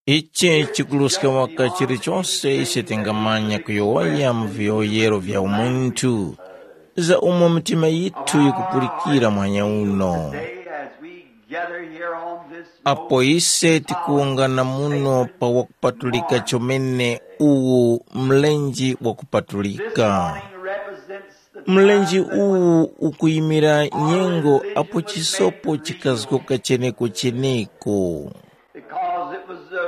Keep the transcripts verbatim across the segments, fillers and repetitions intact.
Ichi chikuruska waka chilichose ise tingamanya kuyowoya mu viyowoyero vya umunthu, za umo mitima yithu yikupulikira mwanya uno. Today, as we gather here on this apo ise tikuwungana muno pa wakupatulika chomene uwu mlenje wakupatulika. Represents the mlenje time that uwu ukuyimira nyengo apo chisopo chikazgoka cheneko-cheneko. Because it was the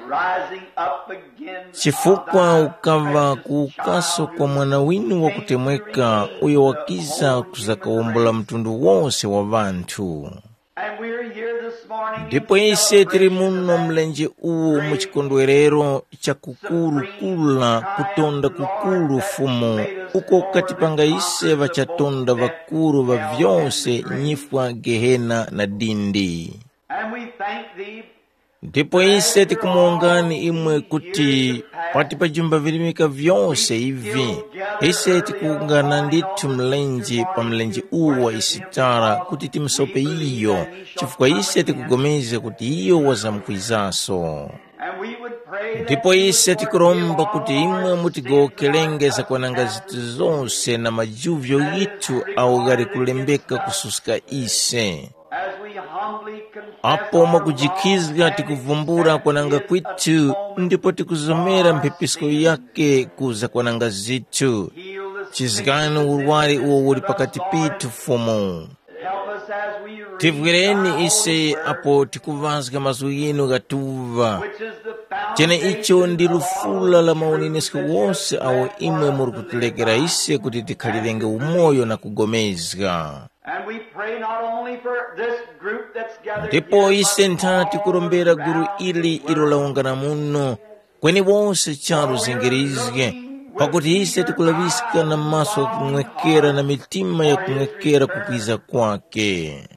rising up again chifukwa of the ukava precious kuukaso child kwa mwana winu wakutemweka uyo wakiza kuzakawombola mtundu wose wa ŵanthu. And we're here this morning ndipo in ise tili celebration muno of that mlenje uwu mu chikondwerero cha kukuru kula kutonda kukuru Fumu uko ukatipanga ise ŵachatonda ŵakuru ŵa vyose nyifwa gehena na dindi. And we thank thee ndipo ise tikumuwongani imwe kuti pati pa jumba virimika vyose ivi ise tikuwungana ndithu mlenje pa mlenje uwu wa isitara kuti timusope iyo chifukwa ise tikupulikana kuti iyo wazamkwizaso. And we would pray that ndipo you ise would tikuromba forgive kuti all imwe our mutigowokerenge zakwananga zithu zonse na majuvyo yithu awo ghali kulembeka kususka ise. As we humbly confess apo our mwakujikhizga wrong and tikuvumbula accept kwananga his kwithu atonement ndipo tikuzomera for our mphepisko sins. Yake kuza kwananga zithu. Heal the sickness chizgani that's in urwari this uwo uli midst pakati of us, Lord. Pithu Fumu. Help us as we read tivwereni thy ise holy word, apo tikuvazga mazgu yinu ghatuva which is the chene icho foundation ndi of all lufula la truth maunenesko that wose shall awo stand imwe for us muri to live kutilekerera by ise kuti tikhalirenge and to umoyo na kugomezga. And we pray not only for this group that's gathered ndipo here, ise but ntha all tikurombera guru around ili the ilo world. Lawungana muno kweni wose charu zingirizge pakuti ise tikulaŵiska na maso kumwekera na mitima ya kumwekera kukwiza kwake.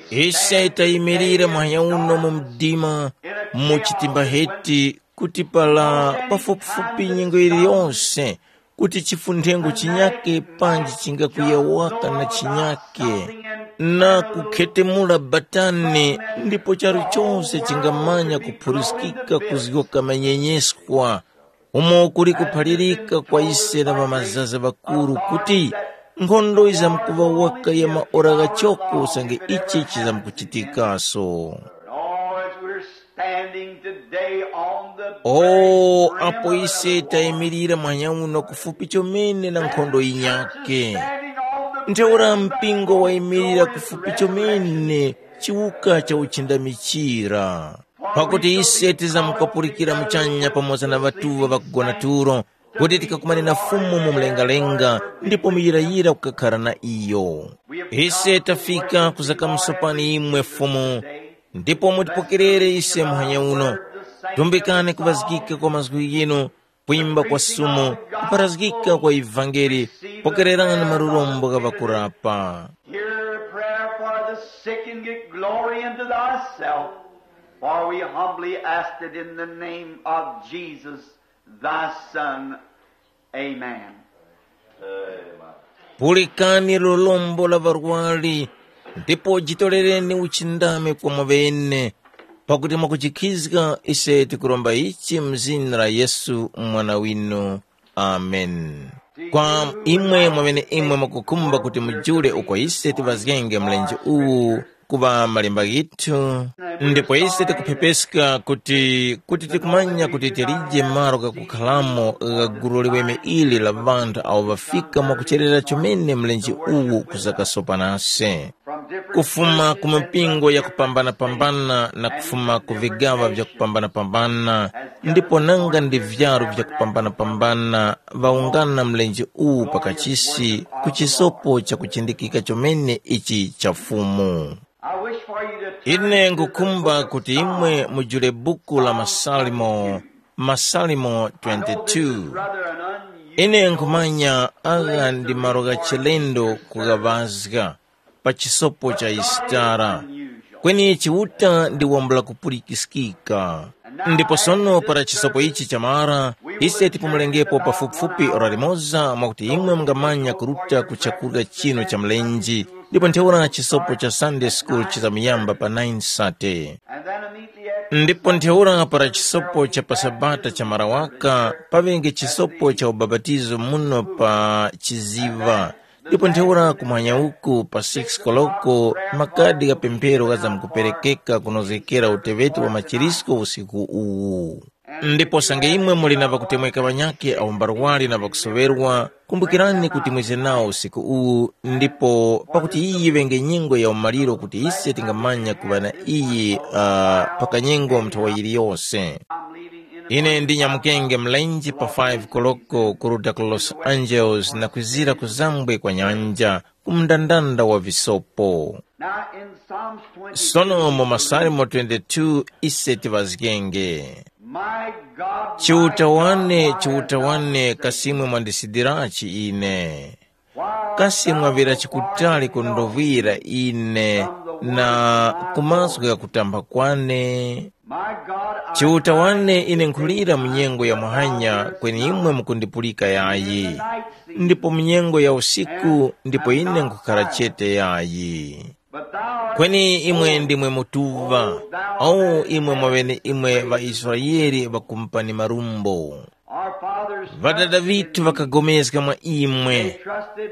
Ise tayimirira mwanya uno mu mdima mu chitimba heti kuti pala pafupifupi nyengo yiliyonse kuti chifuthengo chinyake panji chingakuyawaka na chinyake na kukhetemula batani ndipo charu chose chingamanya kuphuriskika kuzgoka manyenyeskwa umo kuli kuphalirika kwa ise na ŵamazaza ŵakuru kuti nkhondo yizamkuŵa waka ya maora ghachoko usange ichi chizamkuchitikaso. Lord, we're standing today on the o very brim apo of ise the tayimirira mwanya uno kufupi chomene na nkhondo yinyake. Standing on the ntheura brim of mpingo wayimirira kufupi chomene chiwuka cha uchindamichira pakuti ise tizamkukapulikira muchanya pamoza na ŵatuŵa ŵakugona tulo kuti tikakumane na Fumu mu mlengalenga ndipo muyirayira kukakhara na iyo. Ise tafika kuzakamusopani imwe Fumu ndipo mutipokerere ise muhanya uno. Tumbikani kuvazgika kwa mazgu ghinu, kwimba kwa sumu, kuparazgika kwa ivangeli, pokererani malurombo gha ŵakurapa. Hear a prayer for the sick and get glory unto thyself, for we humbly ask it in the name of Jesus, thy Son. Amen. Pulikani lolombo la ŵarwari ndipo jitorereni uchindami kwa mwaŵene, pakuti mwakujikhizga ise tikuromba ichi mu zina la Yesu Mwana winu. Amen. Kwa imwe mwaŵene imwe mwakukhumba kuti mujule uko ise tivazgenge mlenje uwu kuŵa malemba ghithu, ndipo ise tikuphepeska kuti kuti tikumanya kuti tilije malo ghakukhalamo gha gulu liweme ili la ŵanthu awo ŵafika mwakucherera chomene mlenje uwu kuzakasopa nase. Kufuma ku mipingo yakupambana-pambana na kufuma ku vigaŵa vyakupambana-pambana ndipo nanga ndi vyaru vyakupambana-pambana ŵawungana mlenje uwu pakachisi ku chisopo chakuchindikika chomene ichi cha Fumu. I wish for you to turn ine to the ngukhumba book of kuti imwe Psalms. Mujule buku la Masalimo, Masalimo I know this is twenty-two. Rather an unusual ine nkhumanya agha ndi malo gha chilendo kughawazga pa chisopo cha Isitara, kweni Chiuta ndi wambula kupulikiskika. Ndipo sono para chisopo ichi chamara, ise tipumulengepo pafupifupi ora limoza mwakuti imwe mungamanya kuruta ku chakurya chinu cha mlenje, ndipo ntheura chisopo cha Sunday School chizamuyamba pa nine sate. Ndipo ntheura para chisopo cha pa Sabata chamara waka, paŵenge chisopo cha ubapatizo muno pa chiziva. Ndipo ntheura kumwanya uku pa six koloko makadi gha pemphero ghazamkuperekeka kunozgekera uteŵeti wa machirisko usiku uwu. Ndipo sange imwe muli na ŵakutemweka ŵanyakhe awo mbarwari na ŵakusoŵerwa, kumbukirani kuti mwize nawo usiku uwu, ndipo pakuti iyi yiŵenge nyengo ya umaliro kuti ise tingamanya kuŵa na iyi uh, pa kanyengo nthawa yiliyose. Ine ndinyamukenge mlenje pa five koloko kuruta ku Los Angeles na kwizira kuzambwe kwa nyanja, ku mndandanda wa visopo. Now in Psalms twenty, sono mu Masalimo twenty-two ise tivazgenge, my God, Chiuta my wane, God, why Chiuta hast thou wane, forsaken kasimwe me? Mwandisidirachi ine? Why hast kasi thou mwavira forgotten chikutali me, kundovwira ine from the na words of my ku mazgu mouth? Gha kutamba kwane? My God, I Chiuta wane, ine nkhulira mu nyengo ya muhanya, kweni imwe mukundipulika yayi, ndipo mu nyengo ya usiku, ndipo ine nkhukhala chete yayi. Kweni imwe ndimwe mutuŵa, o imwe mwaŵene imwe ŵaIsraele ŵakumupani marumbo. Ŵadada ŵithu ŵakagomezga mwa imwe.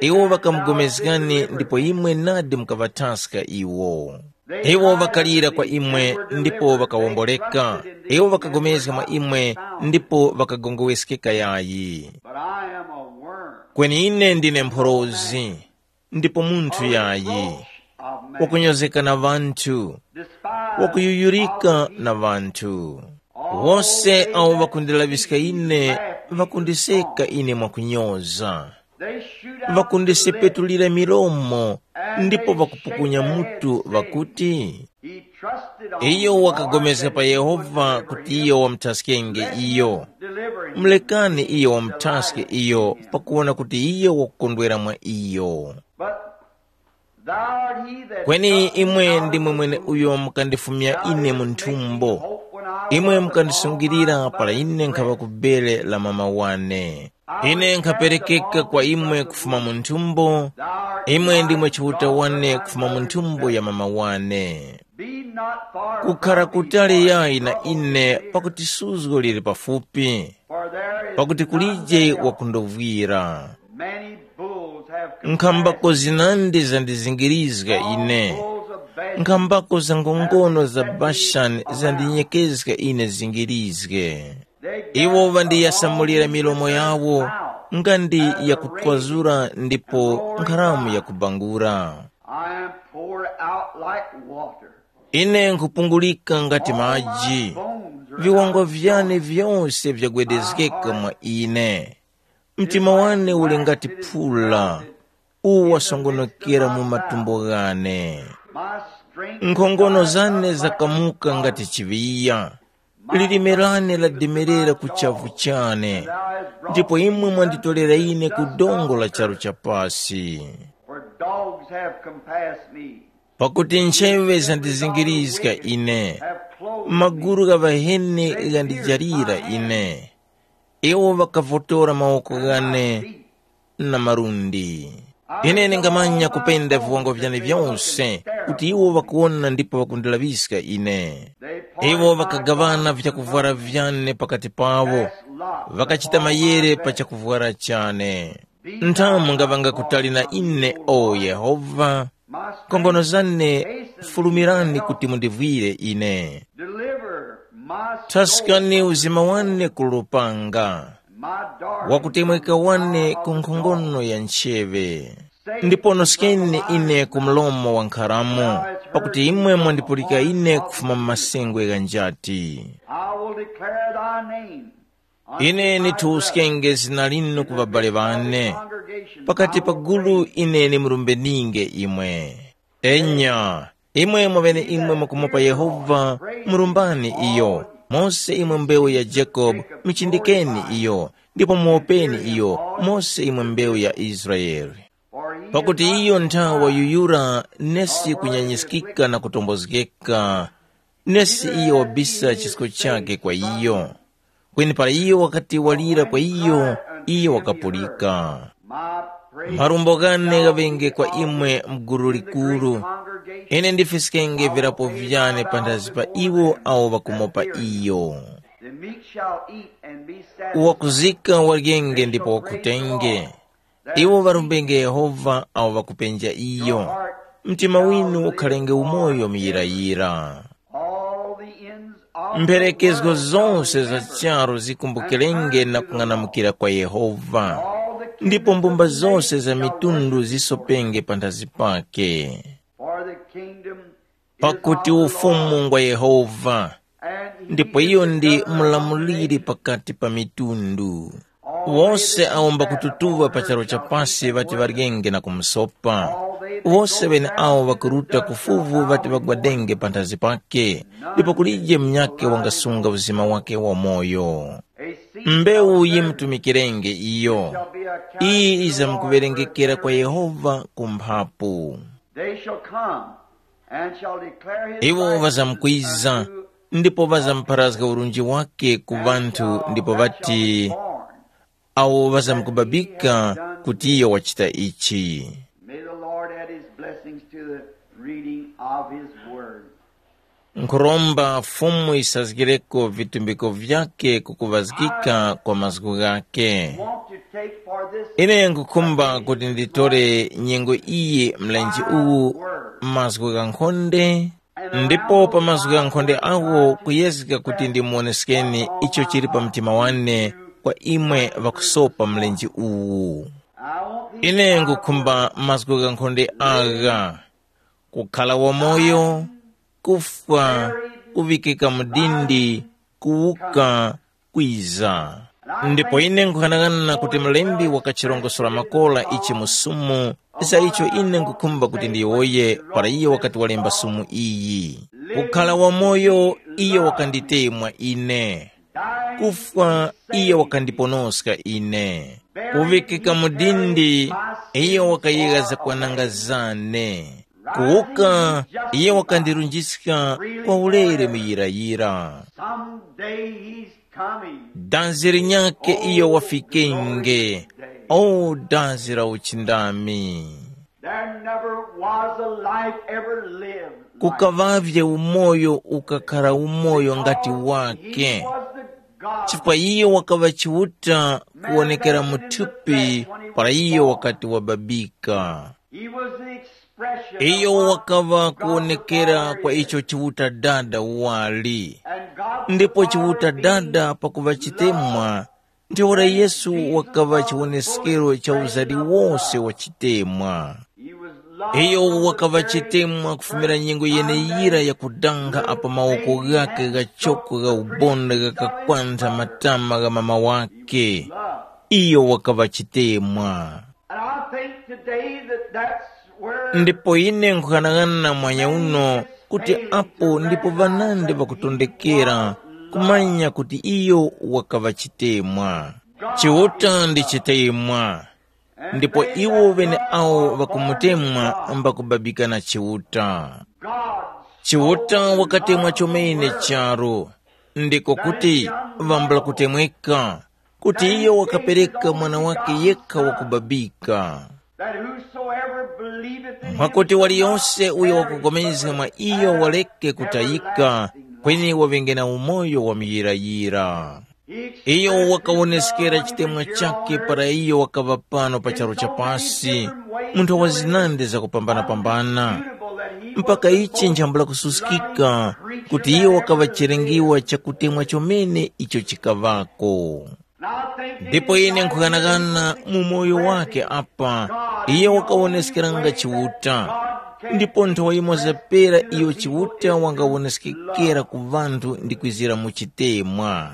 Iwo ŵakamugomezgani ndipo imwe nadi mukaŵathaska iwo. Iwo ŵakalira kwa imwe ndipo ŵakawomboleka. Iwo ŵakagomezga mwa imwe ndipo ŵakagongoweskeka yayi. Kweni ine ndine mphorozi, ndipo munthu yayi, wakunyozeka na ŵanthu, wakuyuyurika na ŵanthu. Wose awo ŵakundilaŵiska ine, ŵakundiseka ine mwakunyoza. Ŵakundisepetulira milomo ndipo ŵakupukunya mutu ŵakuti, iyo wakagomezga pa Yehova kuti iyo wamuthaskenge iyo. Mulekani iyo wamuthaske iyo pakuwona kuti iyo wakukondwera mwa iyo. Kweni imwe ndimwe mweneuyo mukandifumya ine mu nthumbo. Imwe mukandisungilira para ine nkhaŵa ku bere la mama wane. Ine nkhaperekeka kwa imwe kufuma mu nthumbo, imwe ndimwe Chiuta wane kufuma mu nthumbo ya mama wane. Kukhara kutali yayi na ine pakuti suzgo lili pafupi, pakuti kulije wakundovwira. Nkhambako zinandi zandizingirizga ine, nkhambako za ngongono za Bashani zandinyekezga ine zingirizge. Iwo ŵandiyasamulira milomo yawo nga ndi yakutwazura ndipo nkharamu yakubangura. I am poured out like water. Ine nkhupungulika ngati maji, viwangwa vyane vyose vyagwedezgeka mwa ine. Mtima wane uli ngati phula, uwu wasongonokera mu matumbo ghane. Nkhongono zane zakamuka ngati chiŵiya, lilime lane lademerera ku chavu chane, ndipo imwe mwanditorera ine ku dongo la charu cha pasi. For dogs have compassed me. Pakuti ncheŵe zandizingirizga ine, maguru gha ŵaheni ghandijalira ine. Iwo ŵakavotora mawoko ghane na malundi. Ine ndingamanya kupenda viwango vyane vyose kuti iwo ŵakuwona ndipo ŵakundilaŵiska ine. Iwo ŵakagaŵana vyakuvwara vyane pakati pawo, ŵakachita mayere pa chakuvwara chane. Nthamu ngaŵanga kutali na ine, o Yehova, nkhongono zane, fulumirani kuti mundivwire ine. Deliver my soul. Thaskani uzima wane ku lupanga, my darling, wakutemweka wane ku nkhongono ya ncheŵe. Ndipo noskeni ine ku mlomo wa nkharamo, pakuti imwe mwandipulika ine kufuma mu masengwe gha njati. I will declare thy name. Ine nithuskenge zina linu ku ŵabale ŵane, pakati pa gulu ine nimurumbeninge imwe. Enya, imwe mwaŵeneimwe mukumupa Yehova, murumbani iyo. Mose imwe mbewu ya Jacobe, muchindikeni iyo, ndipo muwopeni iyo, mose imwe mbewu ya Israele. Pakuti iyo nthawa yuyura nesi kunyanyiskika na kutombozgeka, Nesi iyo wabisa chisko chakhe kwa iyo. Kweni para iyo wakati walira kwa iyo, iyo wakapulika. Marumbo ghane ghaŵenge kwa imwe mguru likuru. Ine ndifiskenge virapo vyane panthazi pa iwo awo ŵakumopa iyo. The meek shall eat and be satisfied. Wakuzika waryenge ndipo wakutenge. Iwo ŵarumbenge Yehova awo ŵakupenja iyo. Mtima winu ukhalenge umoyo muyirayira. All the ends of the Mperekezgo world shall zonse za remember charu zikumbukirenge na kung'anamukira kwa Yehova. Ndipo mbumba zonse za mitundu zisopenge panthazi pake. For the kingdom is Pakuti of the ufumu Lord, ngwa Yehova, and he ndipo is iyo the ndi governor of mulamuliri nations. Pakati pa mitundu. Wose awo mbakututuŵa pa charu cha pasi ŵati ŵaryenge na kumusopa. Wose ŵene awo ŵakuruta ku fuvu ŵati ŵagwadenge panthazi pake, ndipo kulije munyakhe wangasunga uzima wake wamoyo. Mbewu yimutumikirenge iyo. Iyi izamkuŵerengekera kwa Yehova ku mphapu. They shall come and shall declare his Iwo righteousness ŵazamkwiza, unto ndipo ŵazamupharazga urunji wake ku ŵanthu, ndipo ŵati, awo ŵazamkubabika kuti iyo wachita ichi. May the Lord add his blessings to the reading of his word. Nkhuromba Fumu yisazgireko vitumbiko vyake ku kuŵazgika kwa mazgu ghake. Want to take for this Ine nkhukhumba kuti nditore nyengo iyi mlenje uwu mazgu ghankhonde, ndipo pa mazgu ghankhonde agho kuyezga kuti ndimuwoneskeni icho chili pa mtima wane kwa imwe ŵakusopa mlenje uwu. Ine nkhukhumba mazgu ghankhonde agha: kukhala wamoyo, kufwa, kuŵikika mu dindi, kuwuka, kwiza. Ndipo ine nkughanagana kuti Mlembi wakachirongosora makora ichi mu Sumu, za icho ine nkhukhumba kuti ndiyowoye para iyo wakati walemba Sumu iyi. Kukhala wamoyo, iyo wakanditemwa ine. Kufwa, iyo wakandiponoska ine. Kuŵikika mu dindi, iyo wakayegha zakwananga zane. Kuwuka, iyo wakandirunjiska kwa ulere muyirayira. Someday he's coming. Dazi linyakhe iyo wafikenge. O dazi la uchindami! There never was a life ever lived like Kukaŵavye umoyo ukakhara umoyo ngati He wake. Was the God. Chifukwa iyo wakaŵa Chiuta kuwonekera mu thupi para iyo wakati wababika. He was the expression Iyo of what wakaŵa God kuwonekera the Father kwa is. Icho Chiuta Dada wali. And God the Ndipo Father Chiuta being Dada pakuŵa chitemwa, ntheura Yesu wakaŵa chiwoneskero cha uzali wose wa chitemwa. He was loved Iyo from the wakaŵa very chitemwa kufumira first nyengo time yeneyira that yakudanga apa mawoko ghake ghachoko gha ubonde ghakakwantha matama gha mama wake. Iyo wakaŵa chitemwa. And I think today that that's where Ndipo ine nkughanagana mwanya uno kuti apo ndipo ŵanandi ŵakutondekera kumanya kuti iyo wakaŵa chitemwa. Chiuta ndi chitemwa, ndipo iwo ŵeneawo ŵakumutemwa mbakubabika na Chiuta. Chiuta wakatemwa chomene charu, ndiko kuti ŵambula kutemweka, kuti iyo wakapereka mwana wake yekha wakubabika, that whosoever believeth in him mwakuti waliyonse uyo wakupulikana wakupulikana mwa iyo waleke kutayika, kweni waŵenge na umoyo wa muyirayira. Iyo wakawoneskera chitemwa chakhe para iyo wakaŵa pano pa charu cha pasi, munthu wa zinandi zakupambana-pambana, mpaka ichi nchambula kususkika kuti iyo wakaŵa chilengiwa cha kutemwa chomene icho chikaŵako. Ndipo ine nkhughanaghana mu moyo wake apa, iyo wakawoneskeranga Chiuta. Ndipo nthawa yimoza pera iyo Chiuta wangawoneskekera ku ŵanthu ndi kwizira mu chitemwa.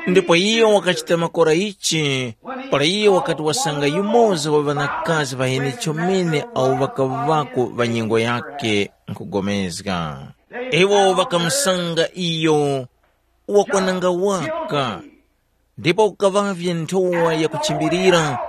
Ndipo iyo wakachita makora ichi, para iyo wakati wasanga yumoza wa ŵanakazi ŵaheni chomene awo ŵakaŵako ŵa nyengo yakhe nkugomezga. Iwo ŵakamusanga iyo wakwananga waka, ndipo kukaŵavye nthowa yakuchimbilira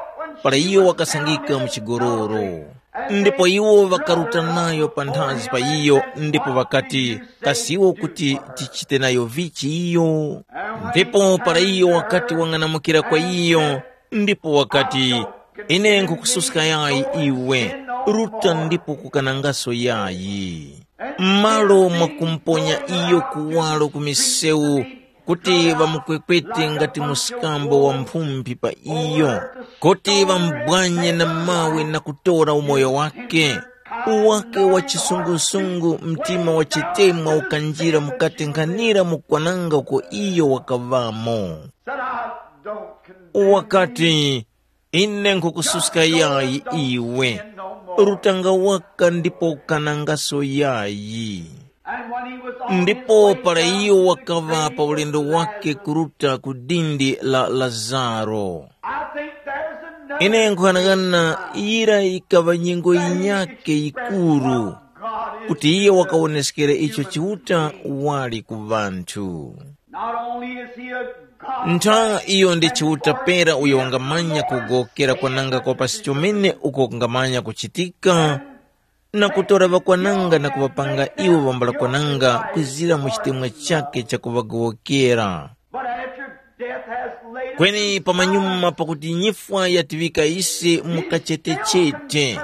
para iyo wakasangika mu chigoloro. Ndipo iwo ŵakaruta nayo panthazi pa iyo, ndipo ŵakati, "Kasi iwo kuti tichite nayo vichi iyo?" Ndipo para iyo wakati wang'anamukira kwa iyo, ndipo wakati, "Ine nkhukususka yayi iwe, ruta ndipo kukanangaso yayi." M'malo mwa kumuponya iyo kuwaro ku misewu, kuti ŵamukwekwete ngati mskambo wa mphumphi pa iyo, kuti ŵamubwanye na mawe na kutora umoyo wake. Uwake wa chisungusungu, mtima wa chitemwa ukanjira mukati nkhanira mu kwananga uko iyo wakaŵamo. Said, "I don't condemn." Wakati, "Ine nkhukususka yayi iwe, rutanga waka ndipo ukanangaso yayi." And when he was on his Ndipo way para down iyo to the wakaŵa grave pa ulendo of wake Lazarus, kuruta ku dindi la Lazaro. I think there's another Ine nkhanang'ana yira ikaŵa nyengo yinyake yikuru, kuti iye wakawoneskera icho Chiuta wali ku ŵanthu. Not only is he a God, Ntha iyo ndi Chiuta pera uyo wangamanya kugowokera kwananga kwa pasi chomene uko kungamanya kuchitika, na kutora ŵakwananga na kuŵapanga iwo ŵambula kwananga kwizira mu chitemwa chakhe chakuŵagowokera. But after death has laid us Kweni pamanyuma pakuti nyifwa yatiŵika ise mu kachetechete,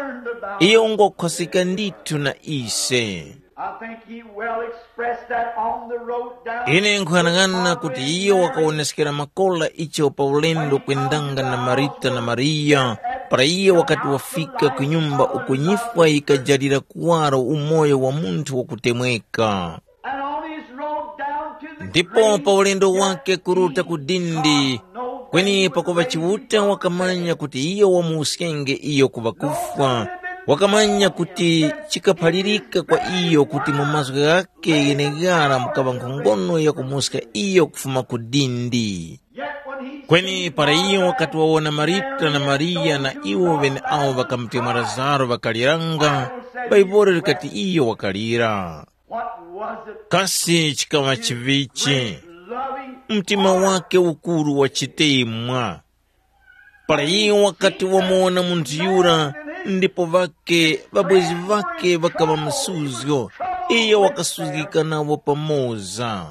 iyo ungokhoseka ndithu na ise. I think he well expressed that on the road down. Ine nkuyang'ana kuti iyo wakawoneskera makola icho pa ulendo kwendanga na Marita na Mariya, para iyo wakati wafika ku nyumba uko nyifwa yikajalira kuwaro umoyo wa munthu wakutemweka. And on his road down to the Ndipo grave, pa ulendo wake kuruta ku dindi, kweni pakuŵa Chiuta wakamanya kuti iyo wamuwuskenge iyo ku ŵakufwa, wakamanya kuti chikaphalirika kwa iyo kuti mu mazgu ghake gheneghara mukaŵa nkhongono yakumuska iyo kufuma ku dindi. Yet when he Kweni para iyo wakati wawona Marita na Mariya na iwo ŵeneawo ŵakamutemwa Lazaro ŵakaliranga, Bhaibuli likati iyo wakalira. What was it? Kasi chikaŵa chivichi? Great loving Mtima wake ukuru wa chitemwa. Para iyo wakati wamuwona munthu yura, ndipo ŵake ŵabwezi ŵake ŵakaŵa msuzgo, iyo wakasuzgika nawo pamoza.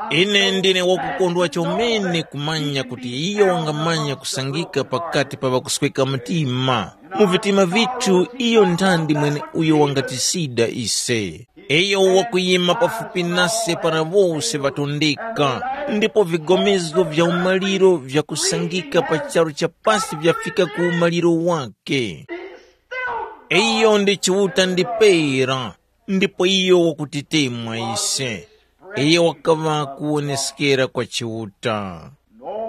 Ine ndine wakukondwa chomene kumanya kuti iyo wangamanya kusangika pakati pa ŵakusweka mtima. Mu vitima vithu iyo nthandi mwene uyo wangatisida ise. Iyo wakuyima pafupi nase para wose ŵatondeka, ndipo vigomezgo vya umaliro vyakusangika pa charu cha pasi vyafika ku umaliro wake. Iyo ndi Chiuta ndi pera, ndipo iyo wakutitemwa ise. Iyo wakaŵa kuwoneskera kwa Chiuta.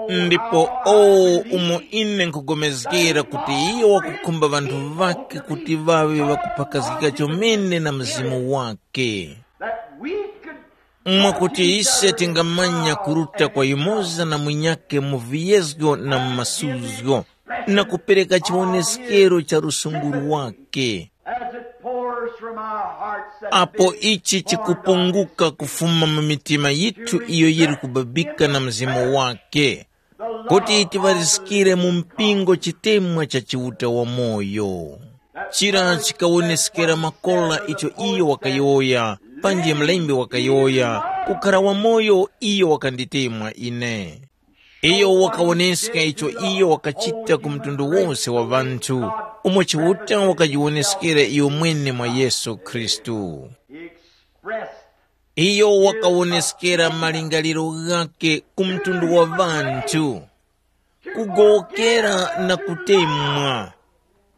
Ndipo o umo ine nkhugomezgera kuti iyo wakukhumba ŵanthu ŵakhe kuti ŵaŵe ŵakuphakazgika chomene na Mzimu wakhe, that we could mwakuti ise tingamanya kuruta kwa yumoza na munyakhe mu viyezgo na mu masuzgo, na kupereka chiwoneskero cha lusunguru wakhe. As it pours from our hearts that apo ichi chikupunguka kufuma mu mitima yithu iyo yiri kubabika na Mzimu wake, kuti tiŵariskire mu mpingo chitemwa cha Chiuta wamoyo. Chira chikawoneskera makola icho iyo wakayowoya, panji mlembi wakayowoya, kukhara wamoyo iyo wakanditemwa ine. Iyo wakawoneska icho iyo wakachita ku mtundu wose wa ŵanthu, umo Chiuta wakajiwoneskera iyo mwene mwa Yesu Khristu. He expressed Iyo wakawoneskera malingaliro ghakhe ku mtundu wa ŵanthu, kugowokera na kutemwa.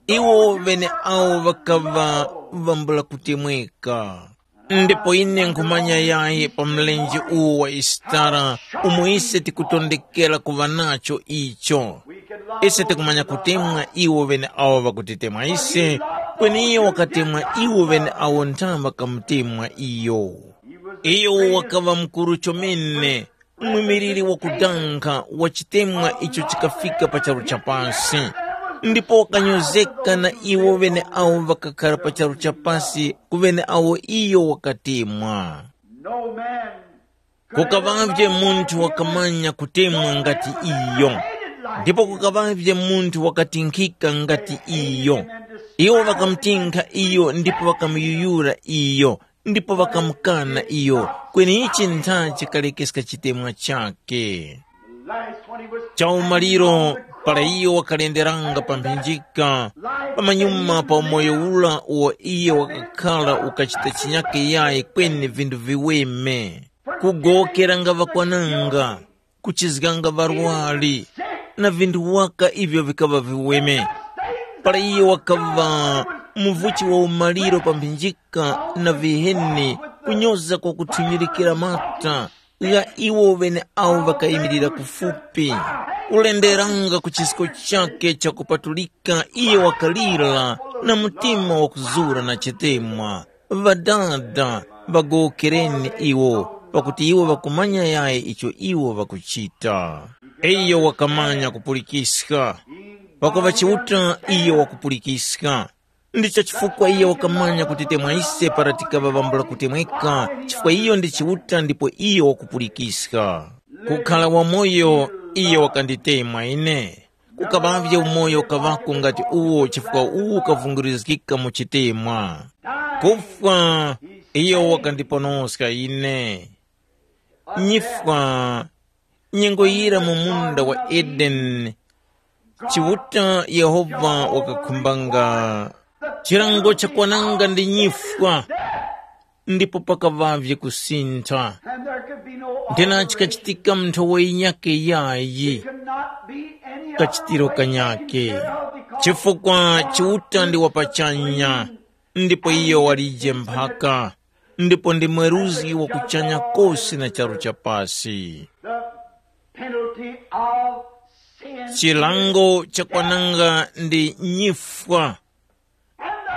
Iwo ŵeneawo ŵakaŵa ŵambula kutemweka. Ndipo ine nkhumanya yayi pa mlenje uwu wa Isitara, umo ise tikutondekera kuŵa nacho icho. Ise tikumanya kutemwa iwo ŵeneawo ŵakutitemwa ise, kweni iyo wakatemwa iwo ŵeneawo ntha ŵakamutemwa iyo. Iyo wakaŵa mukuru chomene, mwimiliri wakudankha wa chitemwa icho chikafika pa charu cha pasi, ndipo wakanyozeka na iwo ŵeneawo ŵakakhara pa charu cha pasi ku ŵeneawo iyo wakatemwa. No man Kukaŵavye munthu wakamanya kutemwa ngati iyo, ndipo kukaŵavye munthu wakatinkhika ngati iyo. Iwo ŵakamutinkha iyo ndipo ŵakamuyuyura iyo, ndipo ŵakamukana iyo, kweni ichi ntha chikalekeska chitemwa chakhe. Chaumaliro, para iyo wakalenderanga pa mphinjika, pamanyuma pa umoyo ura uwo iyo wakakhala ukachita chinyake yayi kweni vinthu viweme, kugowokeranga ŵakwananga, kuchizganga ŵarwari, na vinthu waka ivyo vikaŵa viweme. Para iyo wakaŵa muvuchi wa umaliro pa mphinjika na viheni, kunyoza kwa kuthunyirikira mata gha iwo ŵeneawo ŵakayimirira kufupi. Kulenderanga ku chisko chakhe chakupatulika iyo wakalira na mtima wakuzura na chitemwa. Ŵadada, ŵagowokereni iwo, pakuti iwo ŵakumanya yayi icho iwo ŵakuchita. Iyo wakamanya kupulikiska. Pakuŵa Chiuta iyo wakupulikiska. Ndicho chifukwa iyo wakamanya kuti temwa ise para tikaŵa ŵambula kutemweka, chifukwa iyo ndi Chiuta ndipo iyo wakupulikiska. Kukhala wamoyo, iyo wakanditemwa ine. Kukaŵavye umoyo ukaŵako ngati uwo chifukwa uwu ukavungirizgika mu chitemwa. Kufwa, iyo wakandiponoska ine. Nyifwa, nyengo yira mu munda wa Edeni, Chiuta Yehova wakakhumbanga. Chilango chakwananga ndi nyifwa, ndipo pakaŵavye kusintha. And there could be no Nthena chikachitika mu nthowa yinyakhe yayi, could not be any other kachitiro way kanyake. Taken care of because chifukwa Chiuta ndi wapachanya, ndipo iyo walije mphaka, ndipo ndi mweruzgi wa kuchanya kose na charu cha pasi. The penalty of sin. Chilango chakwananga ndi nyifwa,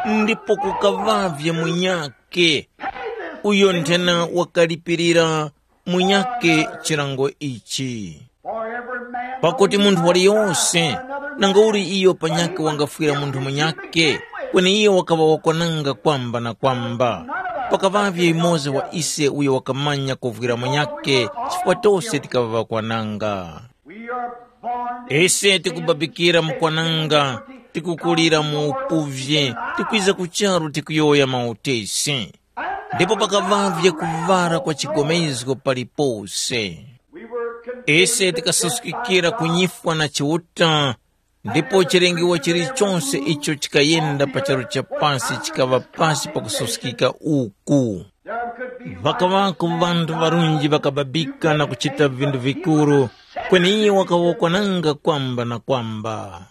ndipo kukaŵavye munyake uyo nthena wakalipirira munyake chilango ichi. Pakuti munthu waliyose, nangauli iyo panyakhe wangafwira munthu munyakhe, kweni iyo wakaŵa wakwananga kwamba na kwamba. Pakaŵavye yumoza wa ise uyo wakamanya kuvwira munyakhe, chifukwa tose tikaŵa ŵakwananga. Ise tikubabikira mu kwananga, tikukulira mu upuvye, tikwiza ku charu tikuyowoya mautesi. Ndipo pakaŵavye kuvara kwa chigomezgo palipose. Ise tikasuskikira kunyifwa na Chiuta, ndipo chilengiwa chilichonse icho chikayenda pa charu cha pasi chikaŵa pasi pa kususkika uku. Ŵakaŵako ŵanthu ŵarunji ŵakababika na kuchita vinthu vikuru, kweni iye wakaŵa wakwananga kwamba na kwamba.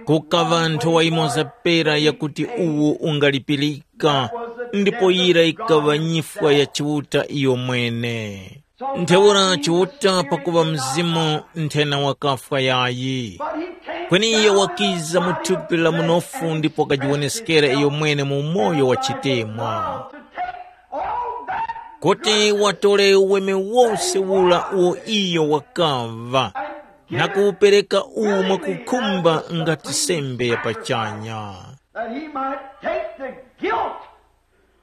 Kukaŵa nthowa yimoza pera yakuti uwu ungalipirika, ndipo yira yikaŵa nyifwa ya Chiuta iyomwene. Ntheura Chiuta pakuŵa Mzimu nthena wakafwa yayi. Kweni iyo wakiza mu thupi la munofu ndipo wakajiwoneskera iyomwene mu umoyo wa chitemwa. Kuti watore uweme wose ura uwo iyo wakaŵa, na kuwupereka uwu mwakukhumba ngati sembe ya pachanya. That he might take the guilt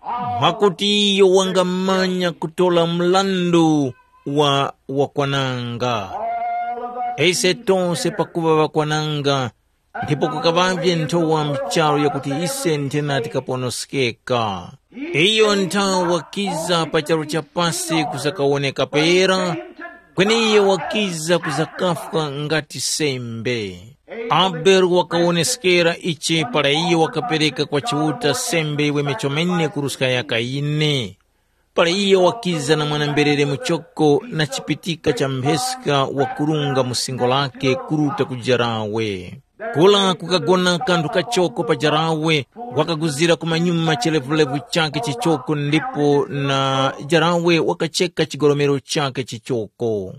of Mwakuti iyo wangamanya kutora mrandu wa wakwananga. All of us Ise tonse pakuva ŵakwananga, ndipo kukaŵavye nthowa mcharo yakuti ise nthena tikaponoskeka. Iyo nthawa wakiza pa charu cha pasi kuzakawoneka pera, kweni iyo wakiza kuzakafwa ngati sembe. Abele wakawoneskera ichi para iyo wakapereka kwa Chiuta sembe yiweme chomene kuruska ya Kayini. Para iyo wakiza na mwana-mberere muchoko na chipitika cha mpheska wakurunga mu singo lake kuruta ku jarawe. Kula kukagona kanthu kachoko pa jarawe, wakaguzira kumanyuma chilevulevu chakhe chichoko ndipo na jarawe wakacheka chigolomero chakhe chichoko.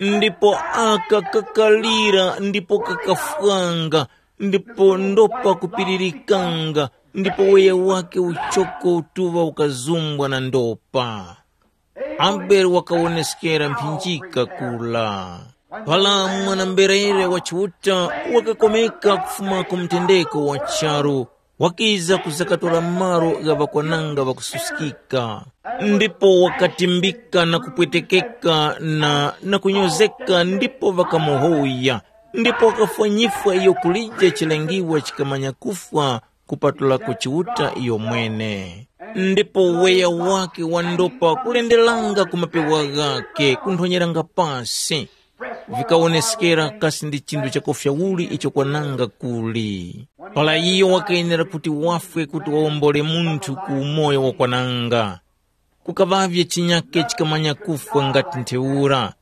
Ndipo aka kakalira ndipo kakafwanga, ndipo ndopa kupiririkanga, ndipo weya wake uchoko utuŵa ukazumbwa na ndopa. Abele wakawoneskera mphinjika kula. Para mwana-mberere wa Chiuta wakakomeka kufuma ku mtendeko wa charu, wakiza kuzakatora malo gha ŵakwananga ŵakususkika, ndipo wakatimbika na kupwetekeka na, na kunyozeka ndipo ŵakamuhoya. Ndipo wakafwa nyifwa iyo kulije chilengiwa chikamanya kufwa kupatulako Chiuta iyomwene. Ndipo uweya wake wa ndopa kulenderanga ku mapewa ghake kunthonyeranga pasi, vikawoneskera kasi ndi chinthu chakufya uli icho kwananga kuli. Para iyo wakayenera kuti wafwe kuti wawombole munthu ku umoyo wakwananga. Kukaŵavye chinyake chikamanya kufwa ngati ntheura.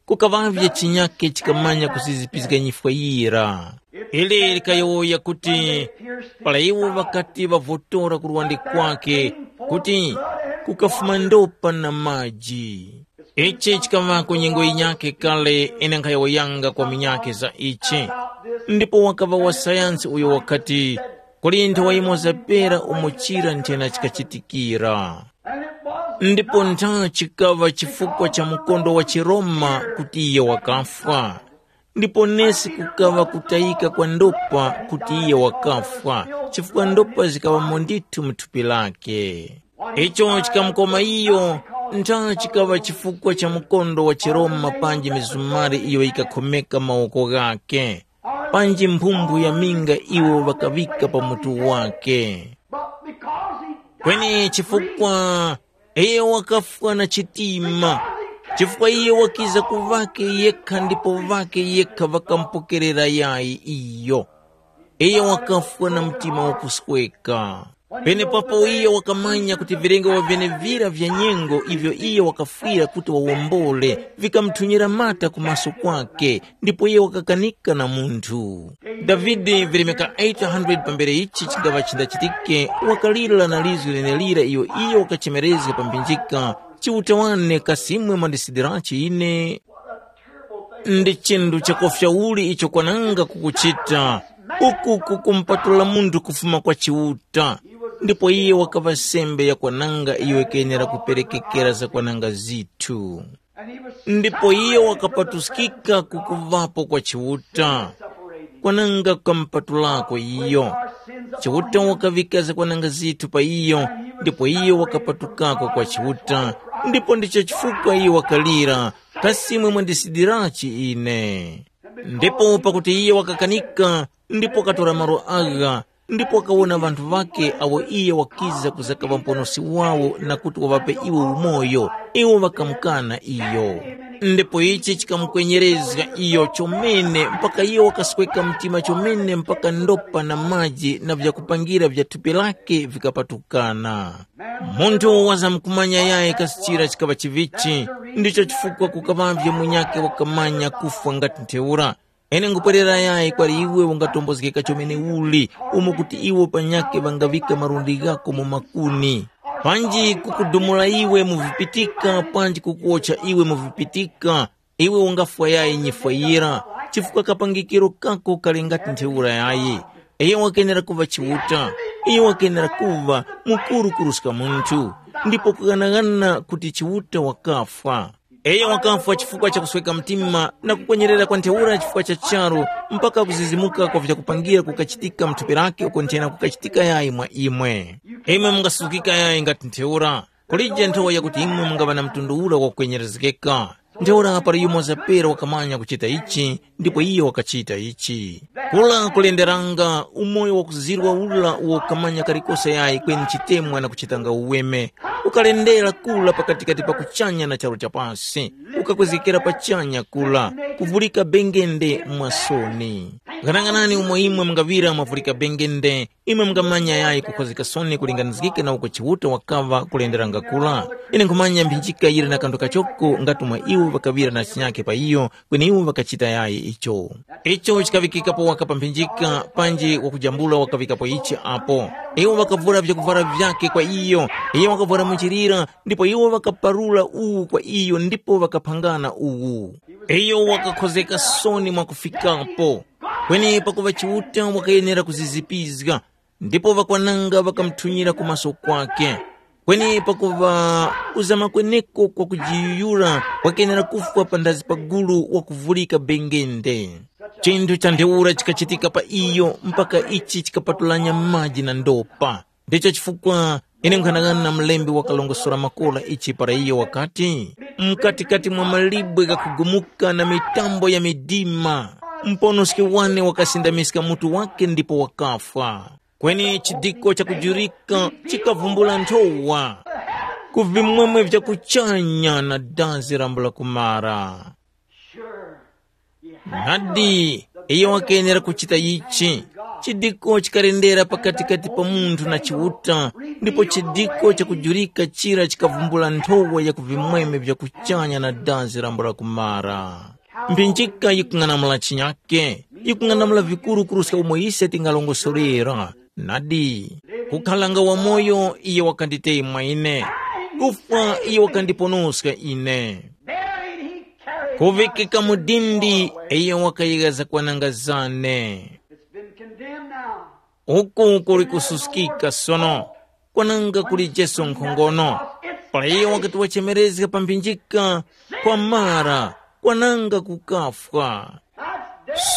Kukaŵavye chinyake chikamanya kusizipizga nyifwa yira. Ili likayowoya kuti, para iwo ŵakati ŵavotora ku luwande kwake, kuti kukafuma ndopa na maji. Ichi chikaŵako nyengo yinyakhe kale ine nkhayowoyanga kwa minyakhe za ichi. Ndipo wakaŵa wa sayansi uyo wakati, kuli nthawa yimoza pera umo chira nthena chikachitikira. Ndipo ntha chikaŵa chifukwa cha mkondo wa chiRoma kuti iye wakafwa. Ndipo nesi kukaŵa kutayika kwa ndopa kuti iye wakafwa, chifukwa ndopa zikaŵamo ndithu mu thupi lake. Icho chikamukoma iyo, ntha chikaŵa chifukwa cha mkondo wa chiRoma panji mizumari iyo yikakhomeka mawoko ghake, panji mphumphu ya minga iwo ŵakaŵika pa mutu wake. But because he died Kweni chifukwa iye wakafwa na chitima, chifukwa iye wakiza ku ŵake yekha ndipo ŵake yekha ŵakamupokerera yayi iyo. Iye wakafwa na mtima wakusweka. Penepapo iye wakamanya kuti vilengo vyenevira vya nyengo ivyo iye wakafwira kuti wawombole, vikamuthunyira mata ku maso kwake, ndipo iye wakakanika na munthu. Davide vilemeka eight hundred pambere ichi chingaŵa chindachitike, wakalira na lizgu lenelira iyo iye wakachemerezga pa mphinjika, Chiuta wane, kasi imwe mwandisidirachi ine? Ndi chinthu chakofya uli icho kwananga kukuchita, uku kukumupatula munthu kufuma kwa Chiuta. Ndipo iye wakaŵa sembe yakwananga iyo yikayenera kuperekekera zakwananga zithu. Ndipo iyo wakapatuskika kukuvapo kwa Chiuta, kwananga kukamupatulako iyo. Chiuta wakaŵika zakwananga zithu pa iyo, ndipo iyo wakapatukako kwa Chiuta, ndipo ndicho chifukwa iyo wakalira, kasi imwe mwandisidirachi ine? Ndipo pakuti iye wakakanika, ndipo wakatora malo agha, ndipo wakawona ŵanthu ŵakhe awo iye wakiza kuzakaŵa Muponoski wawo na kuti waŵape iwo umoyo, iwo ŵakamukana iyo. Ndipo ichi chikamukwenyerezga iyo chomene mpaka iyo wakasweka mtima chomene mpaka ndopa na maji na vyakupangira vya thupi lake vikapatukana. Munthu wazamkumanya yayi kasi chira chikaŵa chivichi, ndicho chifukwa kukaŵavye munyakhe wakamanya kufwa ngati ntheura. Ine nkupwerera yayi kwali iwe ungatombozgeka chomene uli, umo kuti iwo panyakhe ŵangaŵika malundi ghako mu makuni. Panji kukudumula iwe mu vipitika panji kukuwotcha iwe mu vipitika, iwe ungafwa yayi nyifwa yira, chifukwa kapangikiro kako kali ngati ntheura yayi. Iyo wakenera kuŵa Chiuta, iyo wakenera kuŵa mukuru kuruska munthu, ndipo kughanaghana kuti Chiuta wakafwa. Iyo wakafwa chifukwa cha kusweka mtima na kukwenyerera kwa ntheura chifukwa cha charu, mpaka kuzizimuka kwa vyakupangira kukachitika mu thupi lake uko nthena kukachitika yayi mwa imwe. Imwe mungasuzgika yayi ngati ntheura. Kulije nthowa yakuti imwe mungaŵa na mtundu ura wakukwenyerezgeka. Ntheura para yumoza pera wakamanya kuchita ichi, ndipo iyo wakachita ichi. Kula kulenderanga umoyo wakuzirwa ura uwo ukamanya kalikose yayi kweni chitemwa na kuchitanga uweme. Ukalendera kula pakatikati pa kuchanya na charu cha pasi. Ukakwezgekera pachanya kula, kuvulika bengende mwa soni. Ghanaghanani umo imwe mungaŵira mwavulika bengende, imwe mungamanya yayi kukhozgeka soni kulinganizgika na uko Chiuta wakaŵa kulenderanga kula. Ine nkhumanya mphinjika yili na kanthu kachoko ngati mwa iwo ŵakaŵira na chinyakhe pa iyo, kweni iwo ŵakachita yayi icho. Icho chikaŵikikapo waka pa mphinjika, panji wakujambula wakaŵikapo ichi apo. Iwo ŵakavura vyakuvwara vyakhe kwa iyo, iyo wakavwara muchilira, ndipo iwo ŵakaparura uwu kwa iyo ndipo ŵakaphangana uwu. Iyo wakakhozeka soni mwakufikapo. Kweni pakuŵa Chiuta wakayenera kuzizipizga, ndipo ŵakwananga ŵakamuthunyira ku maso kwake. Kweni pakuŵa kuzama kweneko kwa kujiyuyura kwakenera kufwa panthazi pa gulu wakuvulika bengende. Chinthu cha ntheura chikachitika pa iyo mpaka ichi chikapatulanya maji na ndopa. Ndicho chifukwa ine nkhanang'ana na mlembi wakalongosora makola ichi para iyo wakati, mkatikati mwa malibwe ghakugumuka na mitambo ya midima, Muponoski wane wakasindamiska mutu wake ndipo wakafwa. Kweni chidiko chakujurika chikavumbula nthowa ku vimwemwe vya kuchanya na dazi lambula kumara. Nadi, iyo wakenera kuchita ichi. Chidiko chikalendera pakatikati pa munthu na Chiuta, ndipo chidiko chakujurika chira chikavumbula nthowa ya ku vimwemwe vya kuchanya na dazi lambula kumara. Mphinjika yikung'anamula chinyake, yikung'anamula vikuru kuruska umo ise tingalongosorera. Nadi, kukhalanga wamoyo iye wakanditemwa ine, kufwa iye wakandiponoska ine. Buried, he carried my kuvikika mu dindi, iye wakayika zakwananga zane. It's been condemned now. Uku kuli kususkika sono, kwananga kuli Jesu nkhongono. Para iye wakati wachemerezga pa mphinjika, kwamara, kwananga kukafwa.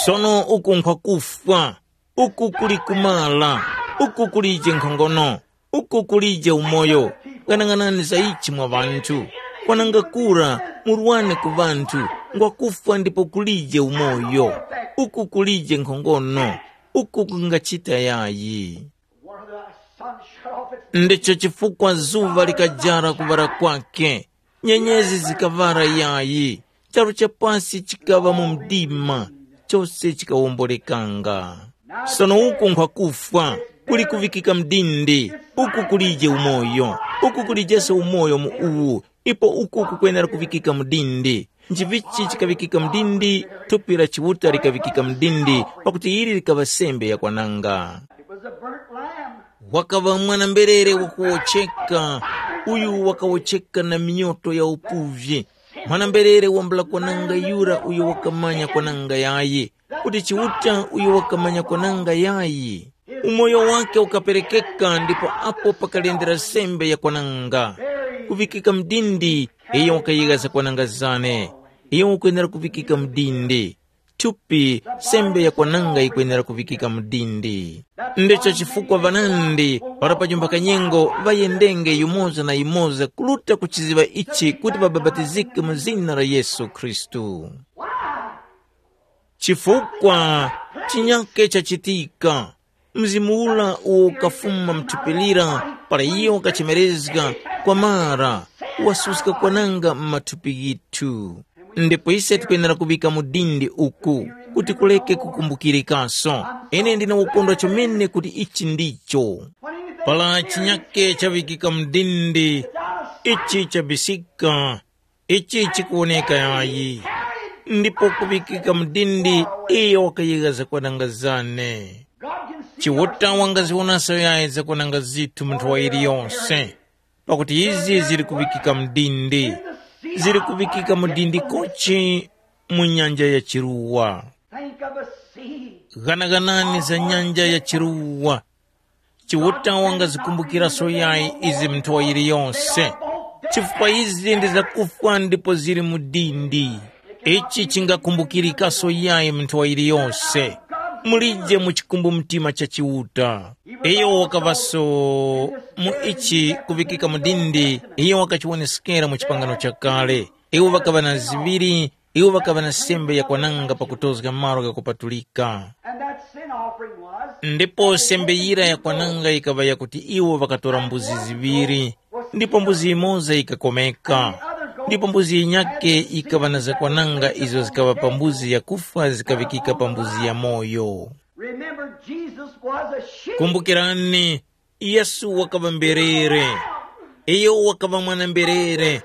Sono uku nkhwakufwa, uku kuli kumala, uku kulije nkhongono, uku kulije umoyo. Ghanaghanani za ichi mwa ŵanthu. Kwananga kura, murwane ku ŵanthu, ngwakufwa ndipo kulije umoyo, uku kulije nkhongono, uku kungachita yayi. Ndicho chifukwa zuŵa likajara kuŵala kwake, nyenyezi zikaŵala yayi, charu cha pasi chikaŵa mu mdima, chose chikawombolekanga. Sono uku nkhwakufwa, kuli kuŵikika mdindi, uku kulije umoyo, uku kulijeso umoyo mu uwu, ipo uku kukwenera kuŵikika mdindi. Nchivichi chikaŵikika mdindi, thupi la Chiuta likaŵikika mdindi, pakuti ili likaŵa sembe yakwananga. It was a burnt lamb. Wakaŵa mwana-mberere wakuwocheka, uyu wakawocheka na minyoto ya upuvyi. Mwana-mberere wambula kwananga yura uyo wakamanya kwananga yayi, kuti Chiuta uyo wakamanya kwananga yayi. Umoyo wake ukaperekeka ndipo apo pakalendera sembe ya kwananga. Kuvikika mdindi, iyo wakayika zakwananga zane. Iyo ukwenera kuvikika mdindi. Thupi, sembe yakwananga yikwenera kuŵikika mu dindi. Ndicho chifukwa ŵanandi para pa chumba kanyengo ŵayendenge yumoza na yumoza kuruta kuchiziŵa ichi kuti ŵabapatizike mu zina la Yesu Khristu. Chifukwa chinyake chachitika, Mzimu ura uwo ukafuma mu thupi lira para iyo wakachemerezga kwamara, wasuska kwananga mu mathupi ghithu. Ndipo ise tikwenera kuŵika mu dindi uku, kuti kureke kukumbukirikaso. Ine ndine wokondwa chomene kuti ichi ndicho. Para chinyake chaŵikika mu dindi, ichi chabisika, ichi chikuwoneka yayi. Ndipo kuŵikika mu dindi, iyo wakayegha zakwananga zane. Chiuta wangaziwonaso yayi zakwananga zithu mu nthowa yiliyonse, pakuti izi zili kuŵikika mu dindi, zili kuŵikika mu dindi kochi mu nyanja ya chiruwa. Think of a sea. Ghanaganani za nyanja ya chiruwa. Chiuta wangazikumbukiraso yayi izi mu nthowa yiliyonse, chifukwa izi ndi zakufwa ndipo zili mu dindi. Ichi chingakumbukirikaso yayi mu nthowa yiliyonse. Mulije mu chikumbumtima cha Chiuta. Iyo wakaŵaso mu ichi kuŵikika mu dindi, iyo wakachiwoneskera mu chipangano chakale. Iwo ŵakaŵa na ziŵiri, iwo ŵakaŵa na sembe yakwananga pakutozga malo ghakupatulika. And that sin offering was. Ndipo sembe yira yakwananga yikaŵa yakuti iwo ŵakatora mbuzi ziŵiri, ndipo mbuzi yimoza yikakomeka. Ndipo mbuzi yinyake yikaŵa na zakwananga izo zikaŵa pa mbuzi yakufwa zikaŵikika pa mbuzi yamoyo. Remember, Jesus was a sheep. Kumbukirani, Yesu wakaŵa mberere. Iyo wakaŵa mwana-mberere.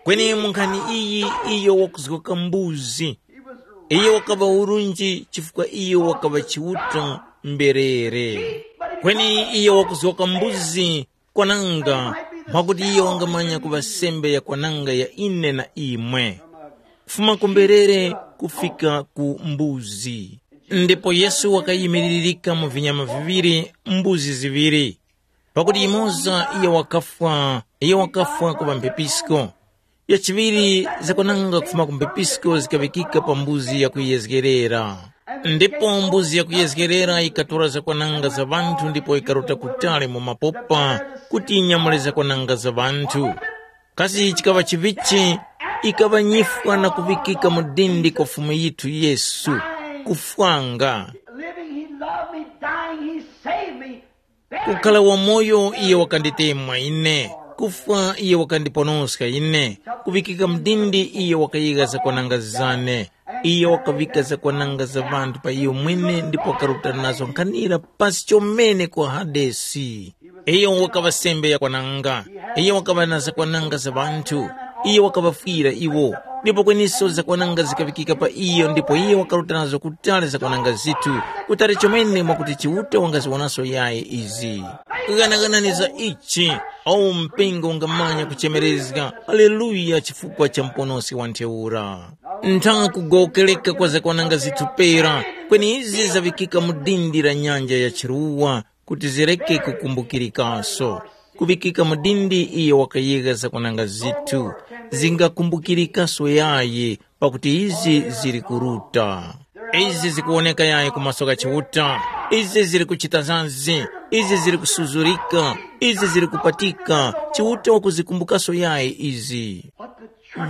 Kweni mu nkhani iyi iyo wakuzgoka mbuzi. Iyo wakaŵa urunji chifukwa iyo wakaŵa Chiuta mberere. Kweni iyo wakuzgoka mbuzi kwananga, mwakuti iyo wangamanya kuŵa sembe yakwananga ya ine na imwe. Kufuma ku mberere kufika ku mbuzi. Ndipo Yesu wakayimiririka mu vinyama viŵiri, mbuzi ziŵiri. Pakuti yimoza iyo wakafwa, iyo wakafwa kuŵa mphepisko. Yachiŵiri zakwananga kufuma ku mphepisko zikaŵikika pa mbuzi yakuyezgerera. Ndipo mbuzi yakuyezgerera yikatora zakwananga za ŵanthu ndipo yikaruta kutali mu mapopa kuti yinyamule zakwananga za ŵanthu. Kasi chikaŵa chivichi, ikaŵa nyifwa na kuŵikika mu dindi kwa Fumu yithu Yesu. kufwanga. Living, he loved me. Dying, he saved me. Kukhala wamoyo, iye wakanditemwa ine. Kufwa, iye wakandiponoska ine. Kuŵikika mdindi, iye wakayika zakwananga zane. Iye wakavika zakwananga za ŵanthu pa iyo mwene ndipo wakaruta nazo nkhanira pasi chomene ku Hadesi. Iyo wakaŵa sembe yakwananga. Iyo wakaŵa na zakwananga za ŵanthu. Iyo wakaŵafwira iwo. Ndipo kweniso zakwananga zikaŵikika pa iyo ndipo iyo wakaruta nazo kutali zakwananga zithu, kutali chomene mwakuti Chiuta wangaziwonaso yayi izi. Ghanaghanani za ichi, awu mpingo ungamanya kuchemerezga, Haleluya, chifukwa cha Muponoski wa ntheura. Ntha kugowokereka kwa zakwananga zithu pera, kweni izi zaŵikika mu dindi la nyanja ya chiruwa, kuti zireke kukumbukirikaso. Kuŵikika mu dindi iyo wakayegha zakwananga zithu, zingakumbukirikaso yayi, pakuti izi zili kuruta. Izi zikuwoneka yayi ku maso gha Chiuta. Izi zili kuchita zazi. Izi zili kusuzurika. Izi zili kupatika. Chiuta wakuzikumbukaso yayi izi.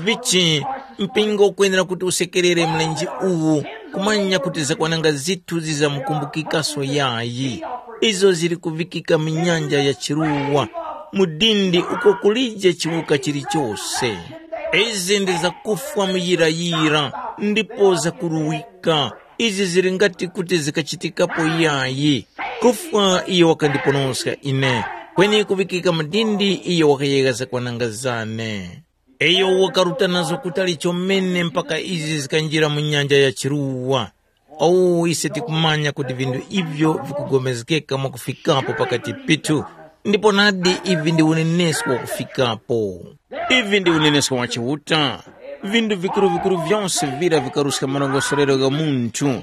Vichi, mpingo ukwenera kuti usekerere mlenje uwu, kumanya kuti zakwananga zithu zizamukumbukikaso yayi. Izo zili kuvikika mu nyanja ya chiruwa, mu dindi uko kulije chiwuka chilichose. Izi ndi zakufwa muyirayira, ndipo zakuruwika. Izi zili ngati kuti zikachitikapo yayi. Kufwa iyo wakandiponoska ine, kweni kuvikika mu dindi iyo wakayegha zakwananga zane. Iyo wakaruta nazo kutali chomene mpaka izi zikanjira mu nyanja ya chiruwa. Owu ise tikumanya kuti vinthu ivyo vikupulikana mwakufikapo pakati pithu, ndipo nadi ivi ndi unenesko wakufikapo. Ivi ndi unenesko wa Chiuta. Vinthu vikuru-vikuru vyonse vira vikaruska marongosorero gha munthu.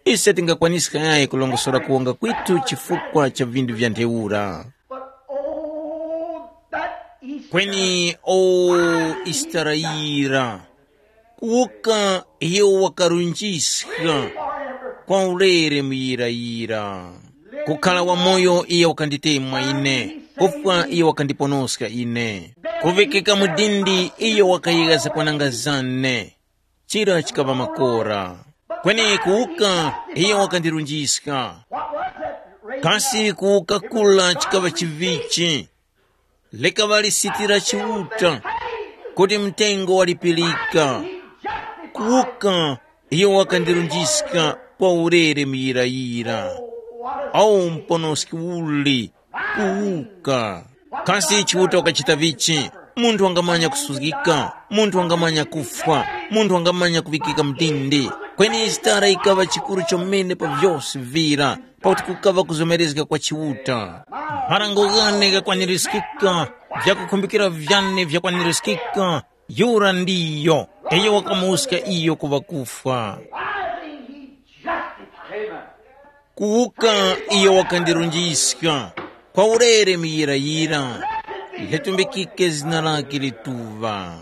Ise tingakwaniska yayi kulongosora kuwonga kwitu chifukwa cha vinthu vya ntheura. But oh, that Easter. Kweni o Isitara yira, kuwuka iyo wakarunjiska kwa ulere muyirayira. Kukhala wamoyo iyo wakanditemwa ine, kufwa iyo wakandiponoska ine. Kuvikika mu dindi iyo wakayegha zakwananga zane. Chira chikaŵa makora. Kweni kuwuka iyo wakandirunjiska. Kasi kuwuka kula chikaŵa chivichi? Likaŵa lisiti la Chiuta, kuti mtengo walipirika. Kuwuka iyo wakandirunjiska kwa ulere muyirayira. Awu mponoski uli kuwuka. Kasi Chiuta wakachita vichi? Munthu wangamanya kusuzgika, munthu wangamanya kufwa, munthu wangamanya kuŵikika mdindi. Kweni Isitara yikaŵa chikuru chomene pa vyose vira, pakuti kukaŵa kuzomerezga kwa Chiuta. Marango ghane ghakwanirizgika, vyakukhumbikira vyane vyakwanirizgika, yura ndiyo, iyo wakamuwuska iyo ku ŵakufwa. Rising, he justified. Kuwuka iyo wakandirunjiska, kwa ulere muyirayira, litumbikike zina lake lituŵa.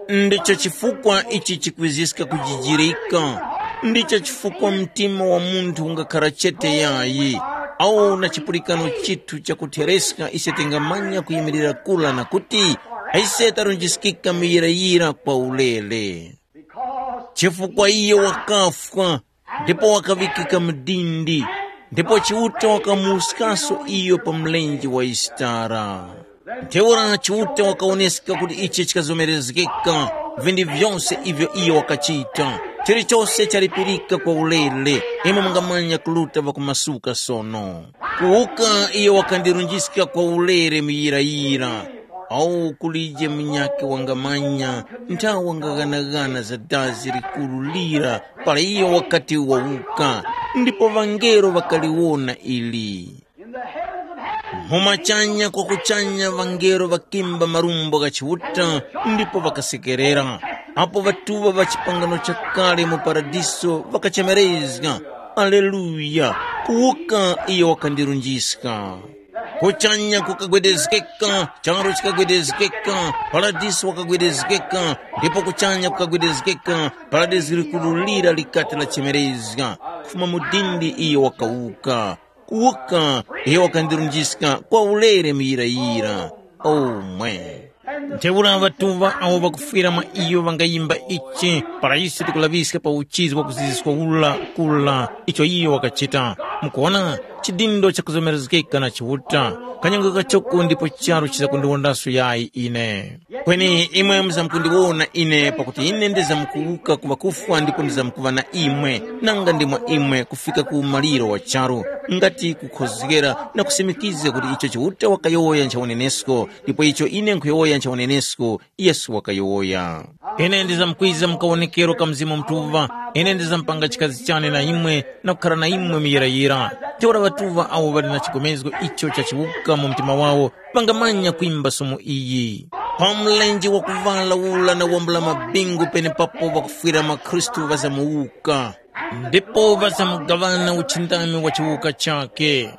Ndicho chifukwa ichi chikwiziska kujijirika, ndicho chifukwa mtima wa munthu ungakhara chete yayi, awu na chipulikano chithu chakuthereska ise tingamanya kuyimirira kula na kuti, ise tarunjiskika muyirayira kwa ulere. Chifukwa iyo wakafwa, ndipo wakaŵikika mu dindi, ndipo Chiuta wakamuwuskaso iyo pa mlenje wa Isitara. Ntheura Chiuta wakawoneska kuti ichi chikazomerezgeka, vinthu vyose ivyo iyo wakachita, chilichose chalipirika kwa ulere, imwe mungamanya kuruta ŵakumasuka sono. Kuwuka iyo wakandirunjiska kwa ulere muyirayira, awu kulije munyakhe wangamanya nthawe wangaghanagana za dazi likuru lira para iyo wakati wawuka, ndipo ŵangelo ŵakaliwona ili. Mu machanya kwa kuchanya ŵangelo ŵakimba marumbo gha Chiuta ndipo ŵakasekerera. Apo ŵatuŵa ŵa chipangano chakale mu Paradiso ŵakachemerezga, Aleluya! Kuwuka iyo wakandirunjiska. Kuchanya kukagwedezgeka, charu chikagwedezgeka, Paradiso wakagwedezgeka, ndipo kuchanya kukagwedezgeka, Paradiso likuru lira likati lachemerezga, kufuma mu dindi iyo wakawuka. Kuwuka iyo wakandirunjiska kwa ulere muyirayira. Omwe. Ntheura ŵatuŵa awo ŵakufwira mwa iyo ŵangayimba ichi para ise tikulaŵiska pa uchizi wa kuziziska ula kula icho iyo wakachita. Mukuwona, chidindo chakuzomerezgeka na Chiuta, kanyongo kachoko ndipo charu chizakundiwondaso yayi ine. Kweni imwe muzamkundiwona ine pakuti ine ndizamkuwuka ku ŵakufwa ndipo ndizamkuŵa na imwe, nanga ndi mwa imwe kufika ku umaliro wa charu, ngati kukhozgera na kusimikiza kuti icho Chiuta wakayowoya ncha unenesko, ndipo icho ine nkhuyowoya ncha unenesko, Yesu wakayowoya. Ine ndizamkwiza mu kawonekero ka Mzimu Mutuŵa, ine ndizamupanga chikazi chane na imwe na kukhara na imwe muyirayira. Ntheura ŵatuŵa awo ŵali na chigomezgo icho cha chiwuka mu mtima wawo ŵangamanya kwimba somo iyi. Pa mlenje wakuvala ula na wambula mabingu penepapo ŵakufwira mwa Khristu ŵazamuwuka, ndipo ŵazamugaŵana uchindami wa chiwuka chakhe.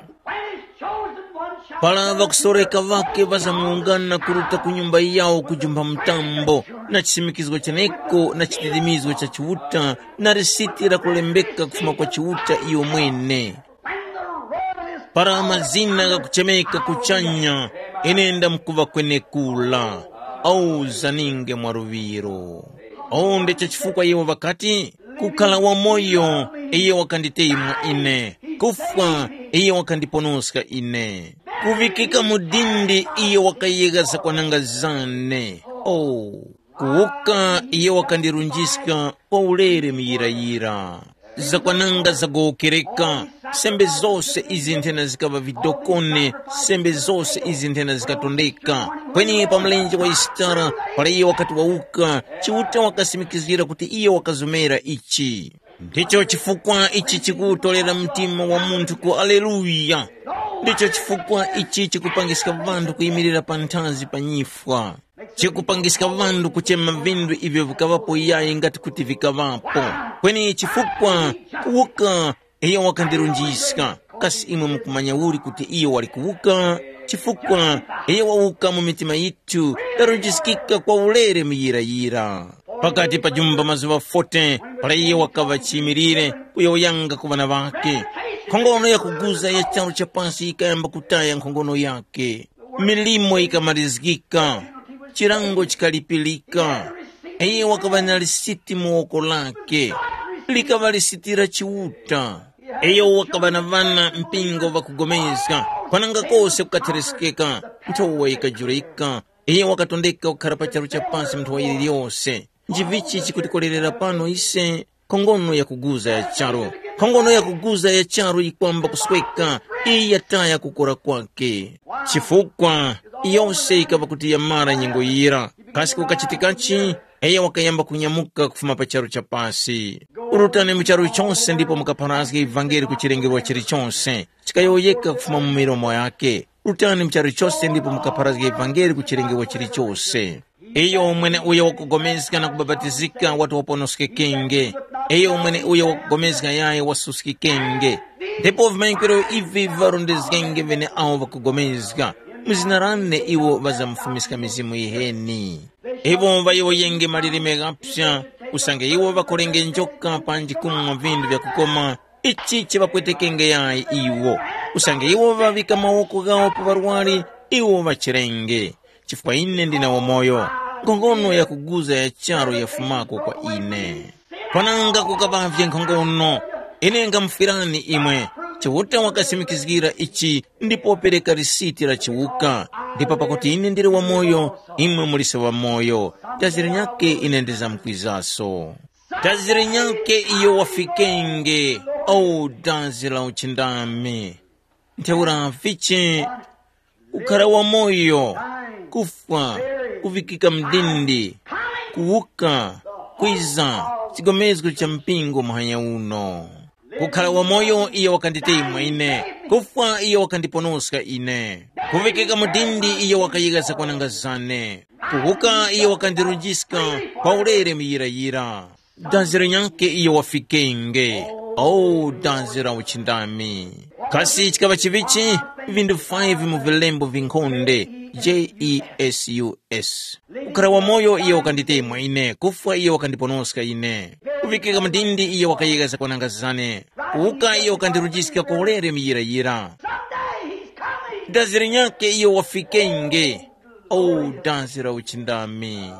Para ŵakusoreka ŵakhe ŵazamuwungana kuruta ku nyumba yawo kujumpha mtambo, na chisimikizgo cheneko na chititimizgo cha Chiuta na lisiti lakulembeka kufuma kwa Chiuta iyo mwene. Para mazina ghakuchemeka kuchanya, ine ndamkuŵa kwenekura. Auzaninge mwa luŵiro. Awo ndicho chifukwa iwo ŵakati, kukhala wamoyo, iyo wakanditeyima ine, kufwa, iyo wakandiponoska ine, kuŵikika mu dindi, iyo wakayegha zakwananga zane. Oh, kuwuka, iyo wakandirunjiska kwa ulere muyirayira. Zakwananga zagowokereka, sembe zose izi nthena zikaŵa vidokone, sembe zose izi nthena zikatondeka. Kweni pa mlenje wa Yisitara, para iyo wakati wawuka, Chiuta wakasimikizgira kuti iyo wakazomera ichi. Ndicho chifukwa ichi chikuwutolera mtima wa munthu ku aleluya. Ndicho chifukwa ichi chikupangiska ŵanthu kuyimirira panthazi pa nyifwa. Chikupangiska ŵanthu kuchema vinthu ivyo vikaŵapo yayi ngati kuti vikaŵapo. Kweni chifukwa kuwuka iyo wakandirunjiska. Kasi imwe mukumanya uli kuti iyo wali kuwuka? Chifukwa iyo wawuka mu mitima yithu, tarunjiskika kwa ulere muyirayira. Pakati pa jumba mazuŵa forty, para iyo wakaŵa chiyimilire kuyowoyanga ku ŵana ŵakhe, nkhongono yakuguza ya charu cha pasi yikayamba kutaya nkhongono yakhe. Milimo yikamarizgika, chilango chikalipirika. Iyo wakaŵa na lisiti mu woko lake, likaŵa lisiti la Chiuta. Iyo wakaŵa na ŵana mpingo ŵakupulikana, kwananga kose kukatheresekeka, nthowa yikajurika. Iyo wakatondeka kukhara pa charu cha pasi munthu wa yiliyose. Nchivichi chikutikolerera pano ise? Nkhongono yakuguza ya charu. Nkhongono yakuguza ya charu yikwamba kusweka, iyi yataya kukora kwake. Chifukwa yose yikaŵa kuti yamara nyengo yira. Kasi kukachitikachi? Iyo wakayamba kunyamuka kufuma pa charu cha pasi. Urutani mu charu chose ndipo mukapharazge ivangeli ku chilengerwa chilichose. Chikayowoyeka kufuma mu milomo yake. Rutani mu charu chose ndipo mukapharazge ivangeli ku chilengerwa chilichose. Iyo mweneuyo wakupulikana na kubapatizika wati waponoskekenge. Iyo mweneuyo wakupulikana yayi wasuskikenge. Ndipo vimanyikwiro ivi viŵarondezgenge ŵeneawo ŵakupulikana. Mu zina lane iwo ŵazamufumiska mizimu yiheni. Iwo ŵayowoyenge malilime ghapsa, usange iwo ŵakolenge njoka panji kumwa vinthu vyakukoma, ichi chiŵapwetekenge yayi iwo. Usange iwo ŵaŵika mawoko ghawo pa ŵarwari, iwo ŵachirenge. Chifukwa ine ndine wamoyo, nkhongono yakuguza ya charu yafumako kwa ine. Kwananga kukaŵavye nkhongono, ine ngamufwirani imwe. Chiuta wakasimikizgira ichi ndipo wapereka lisiti la chiwuka. Ndipo pakuti ine ndili wamoyo, imwe muliso ŵamoyo. Dazi linyakhe ine ndizamkwizaso. Dazi linyakhe iyo wafikenge, o dazi la uchindami. Ntheura vichi? Kukhara wamoyo, kufwa, kuvikika mdindi, kuwuka, kwiza, chigomezgo cha mpingo muhanya uno. Kukhara wamoyo iyo wakanditeyima ine, kufwa iyo wakandiponoska ine, kuvikika mdindi iyo wakayika zakwananga zane, kuwuka iyo wakandirunjiska kwa ulere muyirayira. Dazi linyakhe iyo wafikenge. O dazi la uchindami! Kasi chikaŵa chivichi? Vindu five mu vilembo vinkhonde, jesus. Kukhara wamoyo iyo wakanditemwa ine, kufwa iyo wakandiponoska ine, kuvikika mdindi iyo wakayika zakwananga zane, kuwuka iyo wakandirunjiska kwa ulere muyirayira. Dazi linyakhe iyo wafikenge. O dazi la uchindami!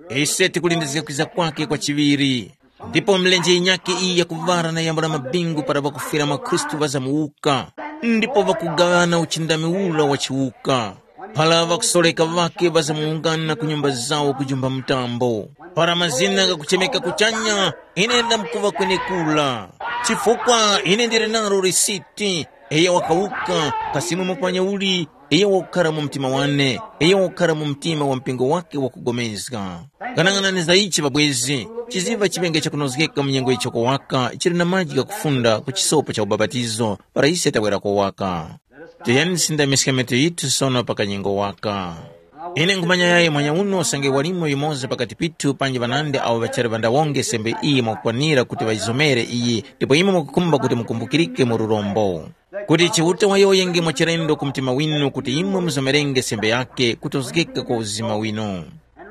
Ise tikulindizga kwiza kwake kwa chiŵiri. Ndipo milenje yinyakhe iyi yakuŵara na yambula mabingu para ŵakufwira mwa Khristu ŵazamuwuka, ndipo ŵakugaŵana uchindami ura wa chiwuka. Para ŵakusoreka ŵakhe ŵazamuwungana ku nyumba zawo kujumba mtambo. Para mazina ghakuchemeka kuchanya, ine ndamkuŵa kwenekura. Chifukwa ine ndili nalo lisiti, iyo wakawuka, kasi imwe mupanya uli, iyo wakukhara mu mtima wane, iyo wakukhara mu mtima wa mpingo wake wakugomezga. Ghanaghanani za ichi ŵabwezi, chiziŵa chiŵenge chakunozgeka mu nyengo yichoko waka chili na maji ghakufunda ku chisopo cha ubapatizo para ise tawerako waka. Tiyeni tisindamiske metu yithu sono pa kanyengo waka. Ine nkhumanya yayi mwanya uno usange walimo yumoza pakati pithu panji ŵanandi awo ŵachali ŵandawonge sembe iyi mwakukwanira kuti ŵayizomere iyi ndipo imwe mukukhumba kuti mukumbukirike mu lurombo. Kuti Chiuta wayowoyenge mwachilendo ku mtima winu kuti imwe muzomerenge sembe yakhe kutozgeka kwa uzima winu.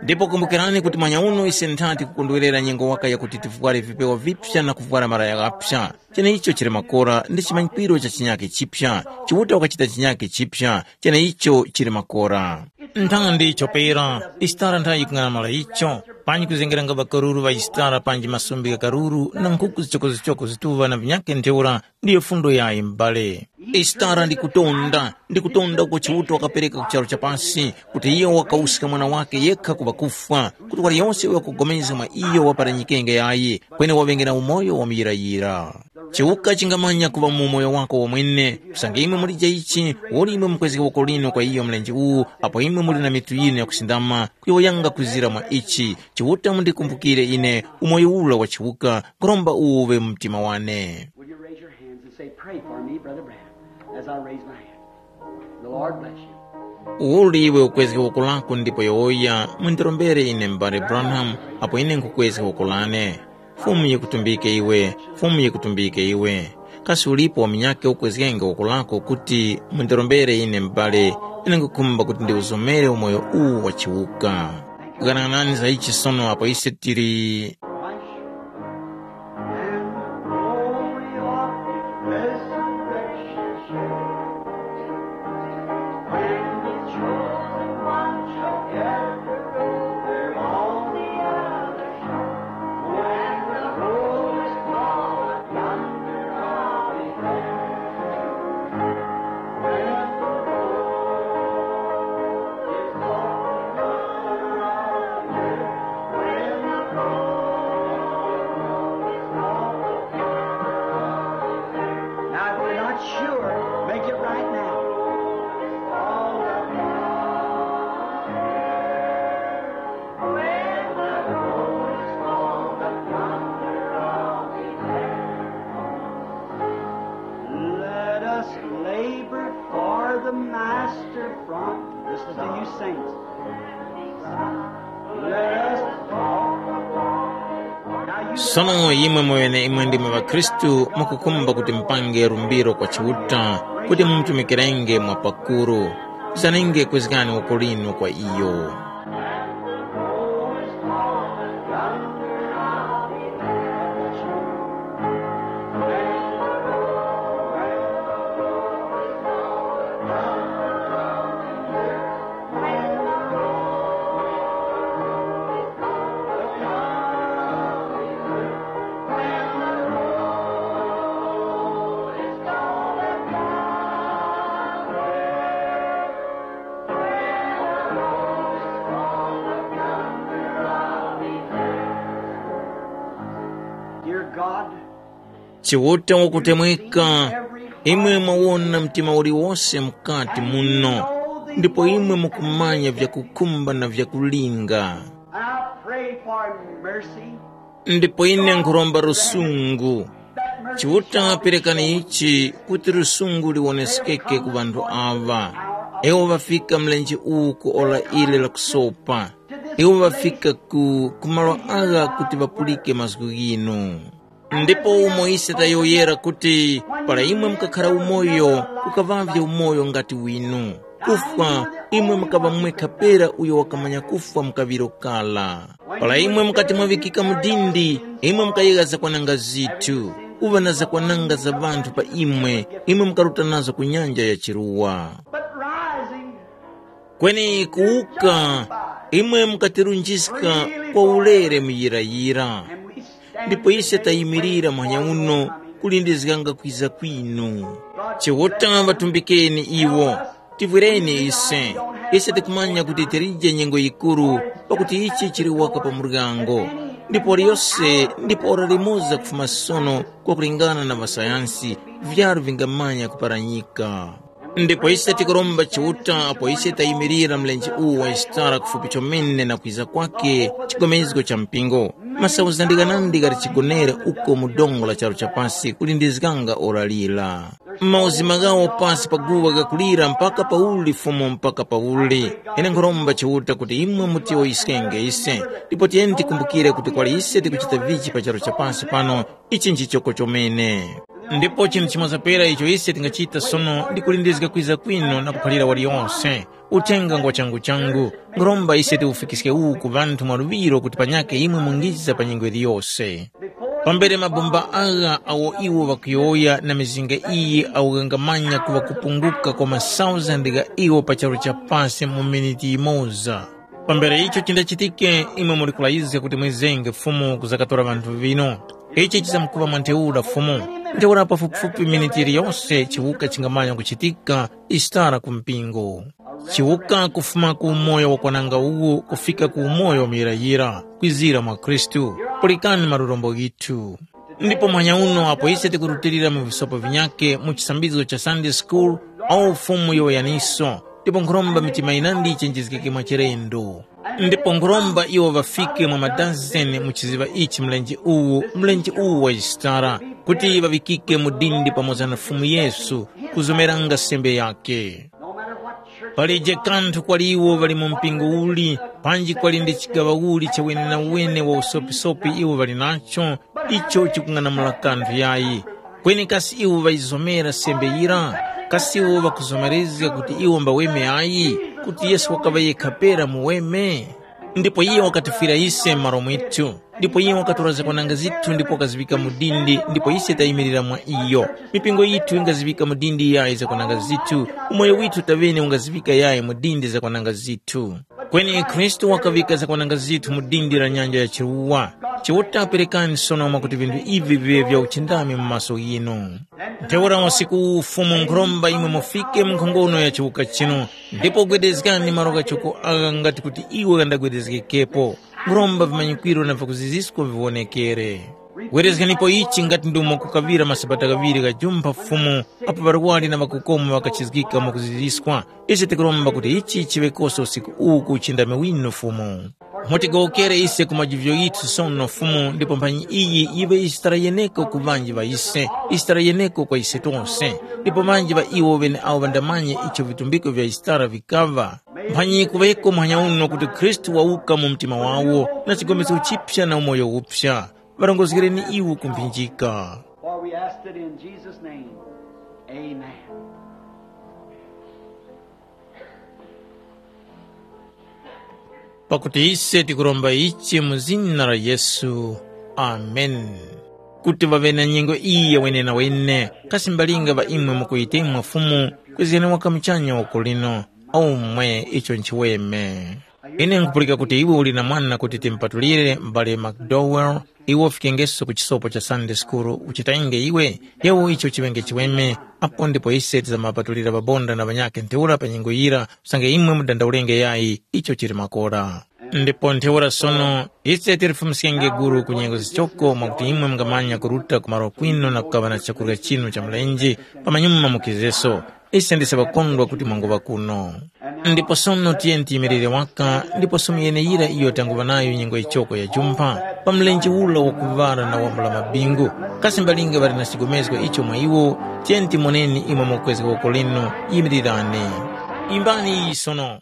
Ndipo kumbukirani kuti mwanya uno ise nthati kukondwerera nyengo waka yakuti tivware vipewa vipya na kuvwara malaya ghaphya. Cheneicho chili makora ndi chimanyikiro cha chinyakhe chipya. Chiuta wakachita chinyakhe chipya, cheneicho chili makora. Nthandi chopera, Isitara nthayi yikung'anamula icho, panji kuzengeranga ŵakaruru ŵa Isitara panji masumbi gha karuru na nkhuku zichokozichoko zituŵa na vinyakhe ntheura ndiyo fundo yayi m'bale. Isitara ndikutonda, ndikutonda uko Chiuta wakapereka ku charu cha pasi, kuti iyo wakawuska mwana wakhe yekha ku ŵakufwa, kuti waliyose uyo wakupulikana mwa iyo waparanyikenge yayi, kweni waŵenge na umoyo wa muyirayira. Chiwuka chingamanya kuŵa mu umoyo wako womwene, usange imwe mulije ichi, uli imwe mukwezge woko linu kwa iyo mlenje uwu, apo imwe muli na mitu yinu yakusindama, kuyowoyanga kwizira mwa ichi, Chiuta mundikumbukire ine umoyo ura wa chiwuka, nkhuromba uwu uŵe mu mtima wane. Will you raise your hands and say, "Pray for me, Brother Branham," as I raise my hand? The Lord bless you. Uli iwe ukwezge woko lako ndipo yowoya, mundirombere ine m'bale Branham, apo ine nkhukwezga woko lane. Fumu yikutumbike iwe, Fumu yikutumbike iwe. Kasi ulipo wa munyakhe ukwezgenge woko lako kuti mundirombere ine m'bale, ine nkhukhumba kuti ndiwuzomere umoyo uwu wa chiwuka. Ghanaghanani za ichi sono apo ise tili. And the glory of his resurrection shall, when the chosen one shall gather over all the earth, when the Lord is called, thunder of the earth, when the Lord is called, thunder of the earth, now, if you're not sure, make it right now. Let us labor for the master from. This is to you saints. Let us talk. Now you Sono imwe mweneimwe ndimwe ŵakhristu mukukhumba kuti mupange lumbiro kwa Chiuta kuti mumutumikirenge mwa pakuru. Zanenge kwezgani woko linu kwa iyo. Dear God, Chiuta wakutemweka, imwe mwawona mtima uliwose mukati muno, ndipo imwe mukumanya vyakukhumba na vyakulinga. I pray for mercy. Ndipo ine nkhuromba lusungu. Chiuta perekani ichi kuti lusungu liwoneskeke ku ŵanthu aŵa. Iwo ŵafika mlenje uwu ku ora ili la kusopa. Iwo ŵafika ku, ku malo agha kuti ŵapulike mazgu ghinu. Ndipo umo ise tayowoyera kuti, para imwe mukakhara umoyo, ukaŵavye umoyo ngati winu. Kufwa, imwe mukaŵa mwekha pera uyo wakamanya kufwa mu kaŵiro kara. Para imwe mukati mwaŵikika mu dindi, imwe mukayegha zakwananga zithu, kuŵa na zakwananga za ŵanthu pa imwe, imwe mukaruta nazo ku nyanja ya chiruwa. But rising, Kweni kuwuka, imwe mukatirunjiska kwa ulere muyirayira. Ndipo ise tayimirira muhanya uno kulindizganga kwiza kwinu. Chiuta ŵatumbikeni iwo, tivwireni ise. Ise tikumanya kuti tilije nyengo yikuru, pakuti ichi chili waka pa muryango. Ndipo liyose ndipo ora limoza kufuma sono kwakulingana na ŵasayansi, vyaru vingamanya kuparanyika. Ndipo ise tikuromba Chiuta apo ise tayimirira mlenje uwu wa Yisitara kufupi chomene na kwiza kwakhe chigomezgo cha mpingo. Masauzandi ghanandi ghali chigonere uko mu dongo la charu cha pasi kulindizganga ora lira. Mauzima ghawo pasi pa guwa ghakulira mpaka pauli Fumu mpaka pauli. Ine nkhuromba Chiuta kuti imwe mutiyowoyeskenge ise, ndipo tiyeni tikumbukire kuti kwali ise tikuchita vichi pa charu cha pasi pano, ichi nchichoko chomene. Ndipo chinthu chimoza pera icho ise tingachita sono ndi kulindizga kwiza kwinu na kuphalira waliyose uthenga ngwa changu changu. Nkhuromba ise tiwufikiske uwu ku ŵanthu mwaluŵiro kuti panyakhe imwe mungiza pa nyengo yiliyose. Pambere mabomba agha awo iwo ŵakuyowoya na mizinga iyi awo ghangamanya kuŵa kupunguka kwa masauzandi gha iwo pa charu cha pasi mu miniti yimoza. Pambere icho chindachitike, imwe muli kulazizga kuti mwizenge Fumu kuzakatora ŵanthu vino. Ichi chizamkuŵa mwa ntheura Fumu. Ntheura pafupifupi miniti yiliyose chiwuka chingamanya kuchitika Yisitara ku mpingo. Chiwuka kufuma ku umoyo wakwananga uwu kufika ku umoyo muyirayira, kwizira mwa Khristu. Pulikani malurombo ghithu. Ndipo muhanya uno apo ise tikurutilira mu visopo vinyakhe mu chisambizgo cha Sunday school, awo Fumu yowoyaniso, ndipo nkhuromba mitima yinandi yichenjezgeke mwachilendo. Ndipo nkhuromba iwo ŵafike mwa madazeni mu chiziŵa ichi mlenje uwu, mlenje uwu wa Yisitara, kuti ŵaŵikike mu dindi pamoza na Fumu Yesu, kuzomeranga sembe yakhe. Palije kanthu kwali iwo ŵali mu mpingo uli, panji kwali ndi chigaŵa uli cha wenewene wa usopisopi iwo ŵali nacho, icho chikung'anamula kanthu yayi. Kweni kasi iwo ŵayizomera sembe yira? Kasi iwo ŵakuzomerezga kuti iwo mbaweme ayi, kuti Yesu wakaŵa yekha pera muweme? Ndipo iye wakatifwira ise m'malo mwithu. Ndipo iye wakatora zakwananga zithu ndipo wakaziŵika mu dindi, ndipo ise tayimirira mwa iyo. Mipingo yithu ingaziŵika mu dindi yayi zakwananga zithu, umoyo withu taŵene ungaziŵika yayi mu dindi zakwananga zithu. Kweni Khristu wakaŵika zakwananga zithu mu dindi la nyanja ya chiruwa. Chiuta perekani sono mwakuti vinthu ivi viŵe vya uchindami mu maso ghinu. Ntheura usiku uwu Fumu nkhuromba imwe mufike mu nkhongono ya chiwuka chinu, ndipo gwedezgani malo ghachoko agha ngati kuti iwo ghandagwedezgekepo. Nkhuromba vimanyikwiro na vyakuzizisko viwonekere. Werezganipo ichi ngati ndi umo kukaŵira masabata ghaŵiri ghajumpha Fumu apo ŵarwari na ŵakukoma ŵakachizgika mwakuziziskwa. Ise tikuromba kuti ichi chiŵe kose usiku uwu ku uchindami winu Fumu. Mutigowokere ise ku majivyo ghithu sono Fumu ndipo mphanyi iyi yiŵe Yisitara yeneko ku ŵanji ŵa ise, Yisitara yeneko kwa ise tose, ndipo ŵanji ŵa iwo ŵeneawo ŵandamanye icho vitumbiko vya Yisitara vikaŵa. Mphanyi kuŵeko muhanya uno kuti Khristu wawuka mu mtima wawo na chigomeso chipya na umoyo uphya. Ŵarongozgereni iwo ku mphinjika. For we ask it in Jesus' name. Amen. Pakuti ise tikuromba ichi mu zina la Yesu. Amen. Kuti ŵaŵe na nyengo iyi ya wenenawene, kasi mbalinga ŵa imwe mukuyitemwa Fumu, kwezgani waka muchanya uko lino, aumwe icho nchiweme. Ine nkupulika kuti iwe uli na mwana kuti timupatulire m'bale McDowell, iwe ufikengeso ku chisopo cha Sunday School, uchitenge iwe, yewo icho chiŵenge chiweme, apo ndipo ise tizamapatulira ŵabonda na ŵanyakhe ntheura pa nyengo yira, usange imwe mudandaulenge yayi, icho chili makora. Ndipo ntheura sono, ise tilifumiskenge gulu ku nyengo zichoko mwakuti imwe mungamanya kuruta ku malo kwinu na kukaŵa na chakurya chinu cha mlenje, pamanyuma mukizeso. Ise ndise ŵakondwa kuti mwanguŵa kuno. Ndipo sono tiyeni tiyimirire waka, ndiposo mu yeneyira iyo tanguŵa nayo nyengo yichoko ya jumpha, pa mlenje ula wakuŵala na wambula mabingu. Kasi mbalinga ŵali na chigomezgo icho mwa iwo? Tiyeni timoneni imwe mukwezga woko linu, yimirirani. Imbani iyi sono.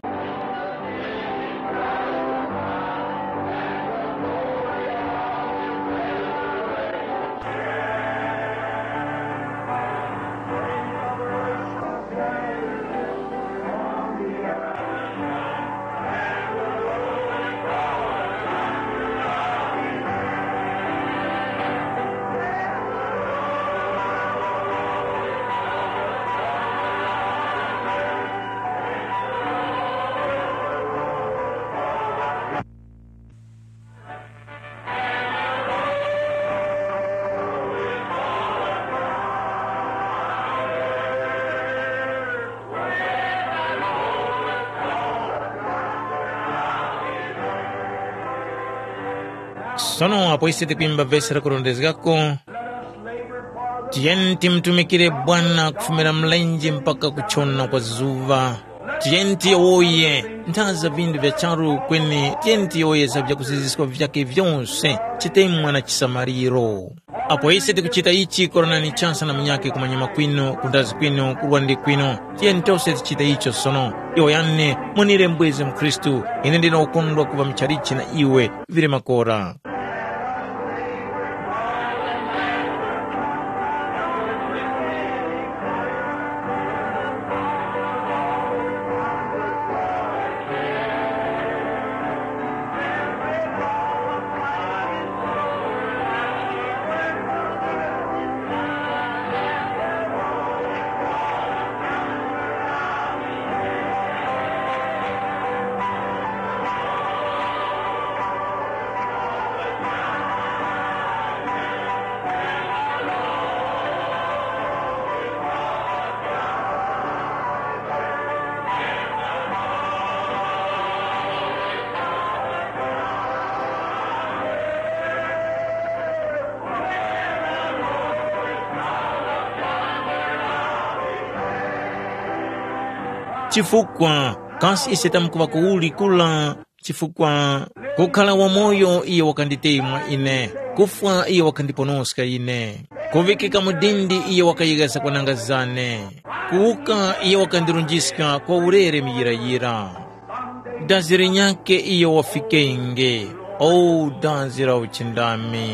Sono apo ise tikwimba vesi lakurondezgako, tiyeni timutumikire Bwana kufumira mlenje mpaka kuchona kwa zuŵa. Tiyeni tiyowoye nthazi za vindu vya charu kweni tiyeni tiyowoye za vyakuziziska vyake vyose chitemwa na chisamaliro. Apo ise tikuchita ichi koranani chansa na munyakhe kumanyuma kwinu kundazi kwinu kurwandi kwinu. Tiyeni tose tichite icho sono. Iwo yane munire mbwezi mkhristu, ine ndine ukondwa kuŵa muchalichi na iwe vili makora. Chifukwa kasi ise tamkuŵa kuwuli kula? Chifukwa kukhala wamoyo iyo wakanditemwa ine, kufwa iyo wakandiponoska ine, kuŵikika mu dindi iyo wakayeghazga kwananga zane, kuwuka iyo wakandirunjiska kwa ulere muyirayira. Dazi linyakhe iyo wafikenge, o dazi la uchindami!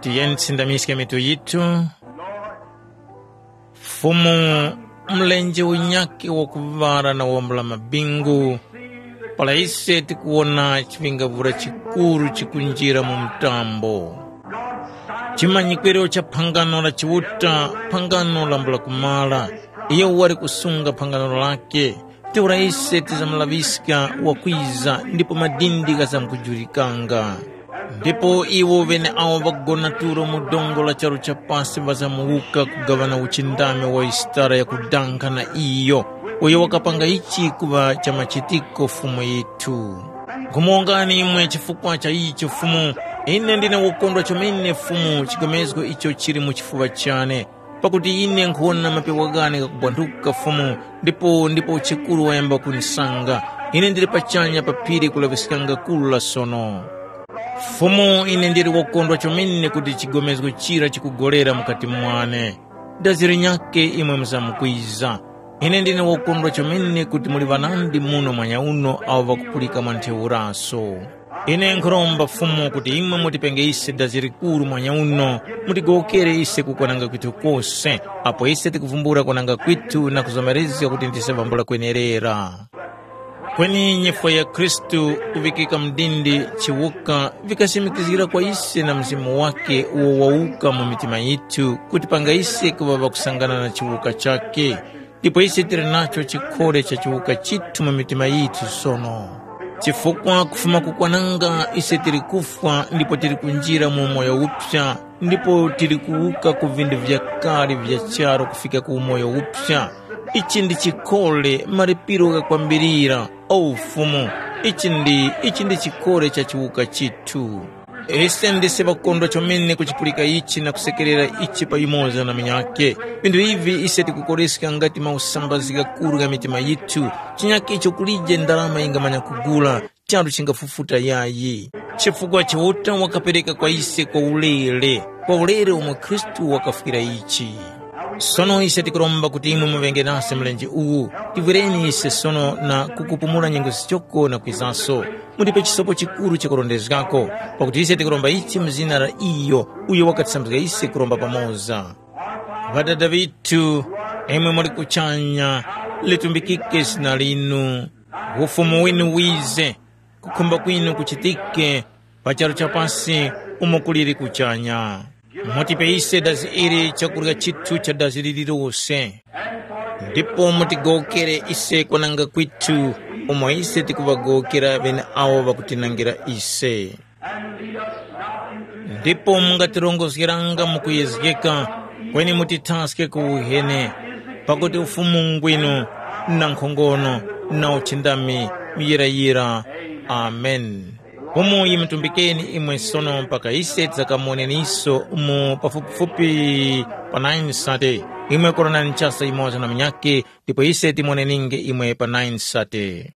Tiyeni tisindamiske mitu yithu. Fumu, mlenje unyakhe wakuŵala na wambula mabingu, para ise tikuwona chiŵingavura chikuru chikunjira mu mtambo. Chimanyikwiro cha phangano la Chiuta, phangano lambula kumara, iyo wali kusunga phangano lake, ntheura ise tizamulaŵiska wakwiza ndipo madindi ghazamkujulikanga. Ndipo iwo ŵeneawo ŵagona tulo mu dongo la charu cha pasi ŵazamuwuka kugaŵana uchindami wa yisitara yakudankha na iyo uyo wakapanga ichi kuŵa cha machitiko Fumu yithu. Nkhumuwongani imwe chifukwa cha icho Fumu, ine ndine wokondwa chomene Fumu chigomezgo icho chili mu chifuŵa chane. Pakuti ine nkhuwona mapewa ghane ghakubwanthuka Fumu, ndipo ndipo chikuru wayamba kunisanga. Ine ndili pachanya pa phiri kulaŵiskanga kuru la sono. Fumu, ine ndili wokondwa chomene kuti chigomezgo chira chikugolera mukati mwane. Dazi linyakhe imwe muzamkwiza. Ine ndine wokondwa chomene kuti muli ŵanandi muno mwanyauno awo ŵakupulika mwa ntheuraso. Ine nkhuromba Fumu kuti imwe mutipenge ise dazi likuru mwanyauno, mutigowokere ise kukwananga kwithu kose, apo ise tikuvumbula kwananga kwithu na kuzomerezga kuti ndise vambula kwenerera. Kweni nyifwa ya Khristu kuŵikika mu dindi chiwuka vikasimikizgira kwa ise na Mzimu wakhe uwo wawuka mu mitima yithu kutipanga ise kuŵa ŵakusangana na chiwuka chakhe. Ndipo ise tili nacho chikhole cha chiwuka chithu mu mitima yithu sono. Chifukwa kufuma kukwananga ise tili kufwa ndipo tili kunjira mu umoyo uphya, ndipo tili kuwuka ku vindu vyakale vya charu kufika ku umoyo uphya. Ichi ndi chikhole, malipiro ghakwambirira. O Fumu, ichi ndi, ichi ndi chikhole cha chiwuka chithu. Ise ndise ŵakondwa chomene kuchipulika ichi na kusekerera ichi pa yumoza na munyakhe. Vinthu ivi ise tikukoreska ngati mausambazgi ghakuru gha mitima yithu, chinyakhe icho kulije ndarama yingamanya kugula, charu chingafufuta yayi. Chifukwa Chiuta wakapereka kwa ise kwa ulere, kwa ulere umo Khristu wakafwira ichi. Sono ise tikuromba kuti imwe muŵenge nase mlenje uwu, tivwereni ise sono na kukupumula nyengo zichoko na kwizaso. Mutipe chisopo chikuru chakurondezgako, pakuti ise tikuromba ichi mu zina la iyo uyo wakatisambizga ise kuromba pamoza. Ŵadada ŵithu, imwe muli kuchanya, litumbikike zina linu. Ufumu winu wize, kukhumba kwinu kuchitike pa charu cha pasi umo kuliri kuchanya. Mutipe ise dazi ili chakurya chithu cha dazi lililose. Ndipo mutigowokere ise kwananga kwithu, umo ise tikuŵagowokera ŵeneawo ŵakutinangira ise. Ndipo mungatirongozgeranga mu kuyezgeka, kweni mutithaske ku uheni, pakuti ufumu ngwinu, na nkhongono, na uchindami, muyirayira. Amen. Fumu yimitumbikeni imwe sono mpaka ise tidzakamuwoneniso mu pafupifupi pa nine sate. Imwe korani nchasa imoza na munyakhe, ndipo ise timuwoneninge imwe pa nine sate.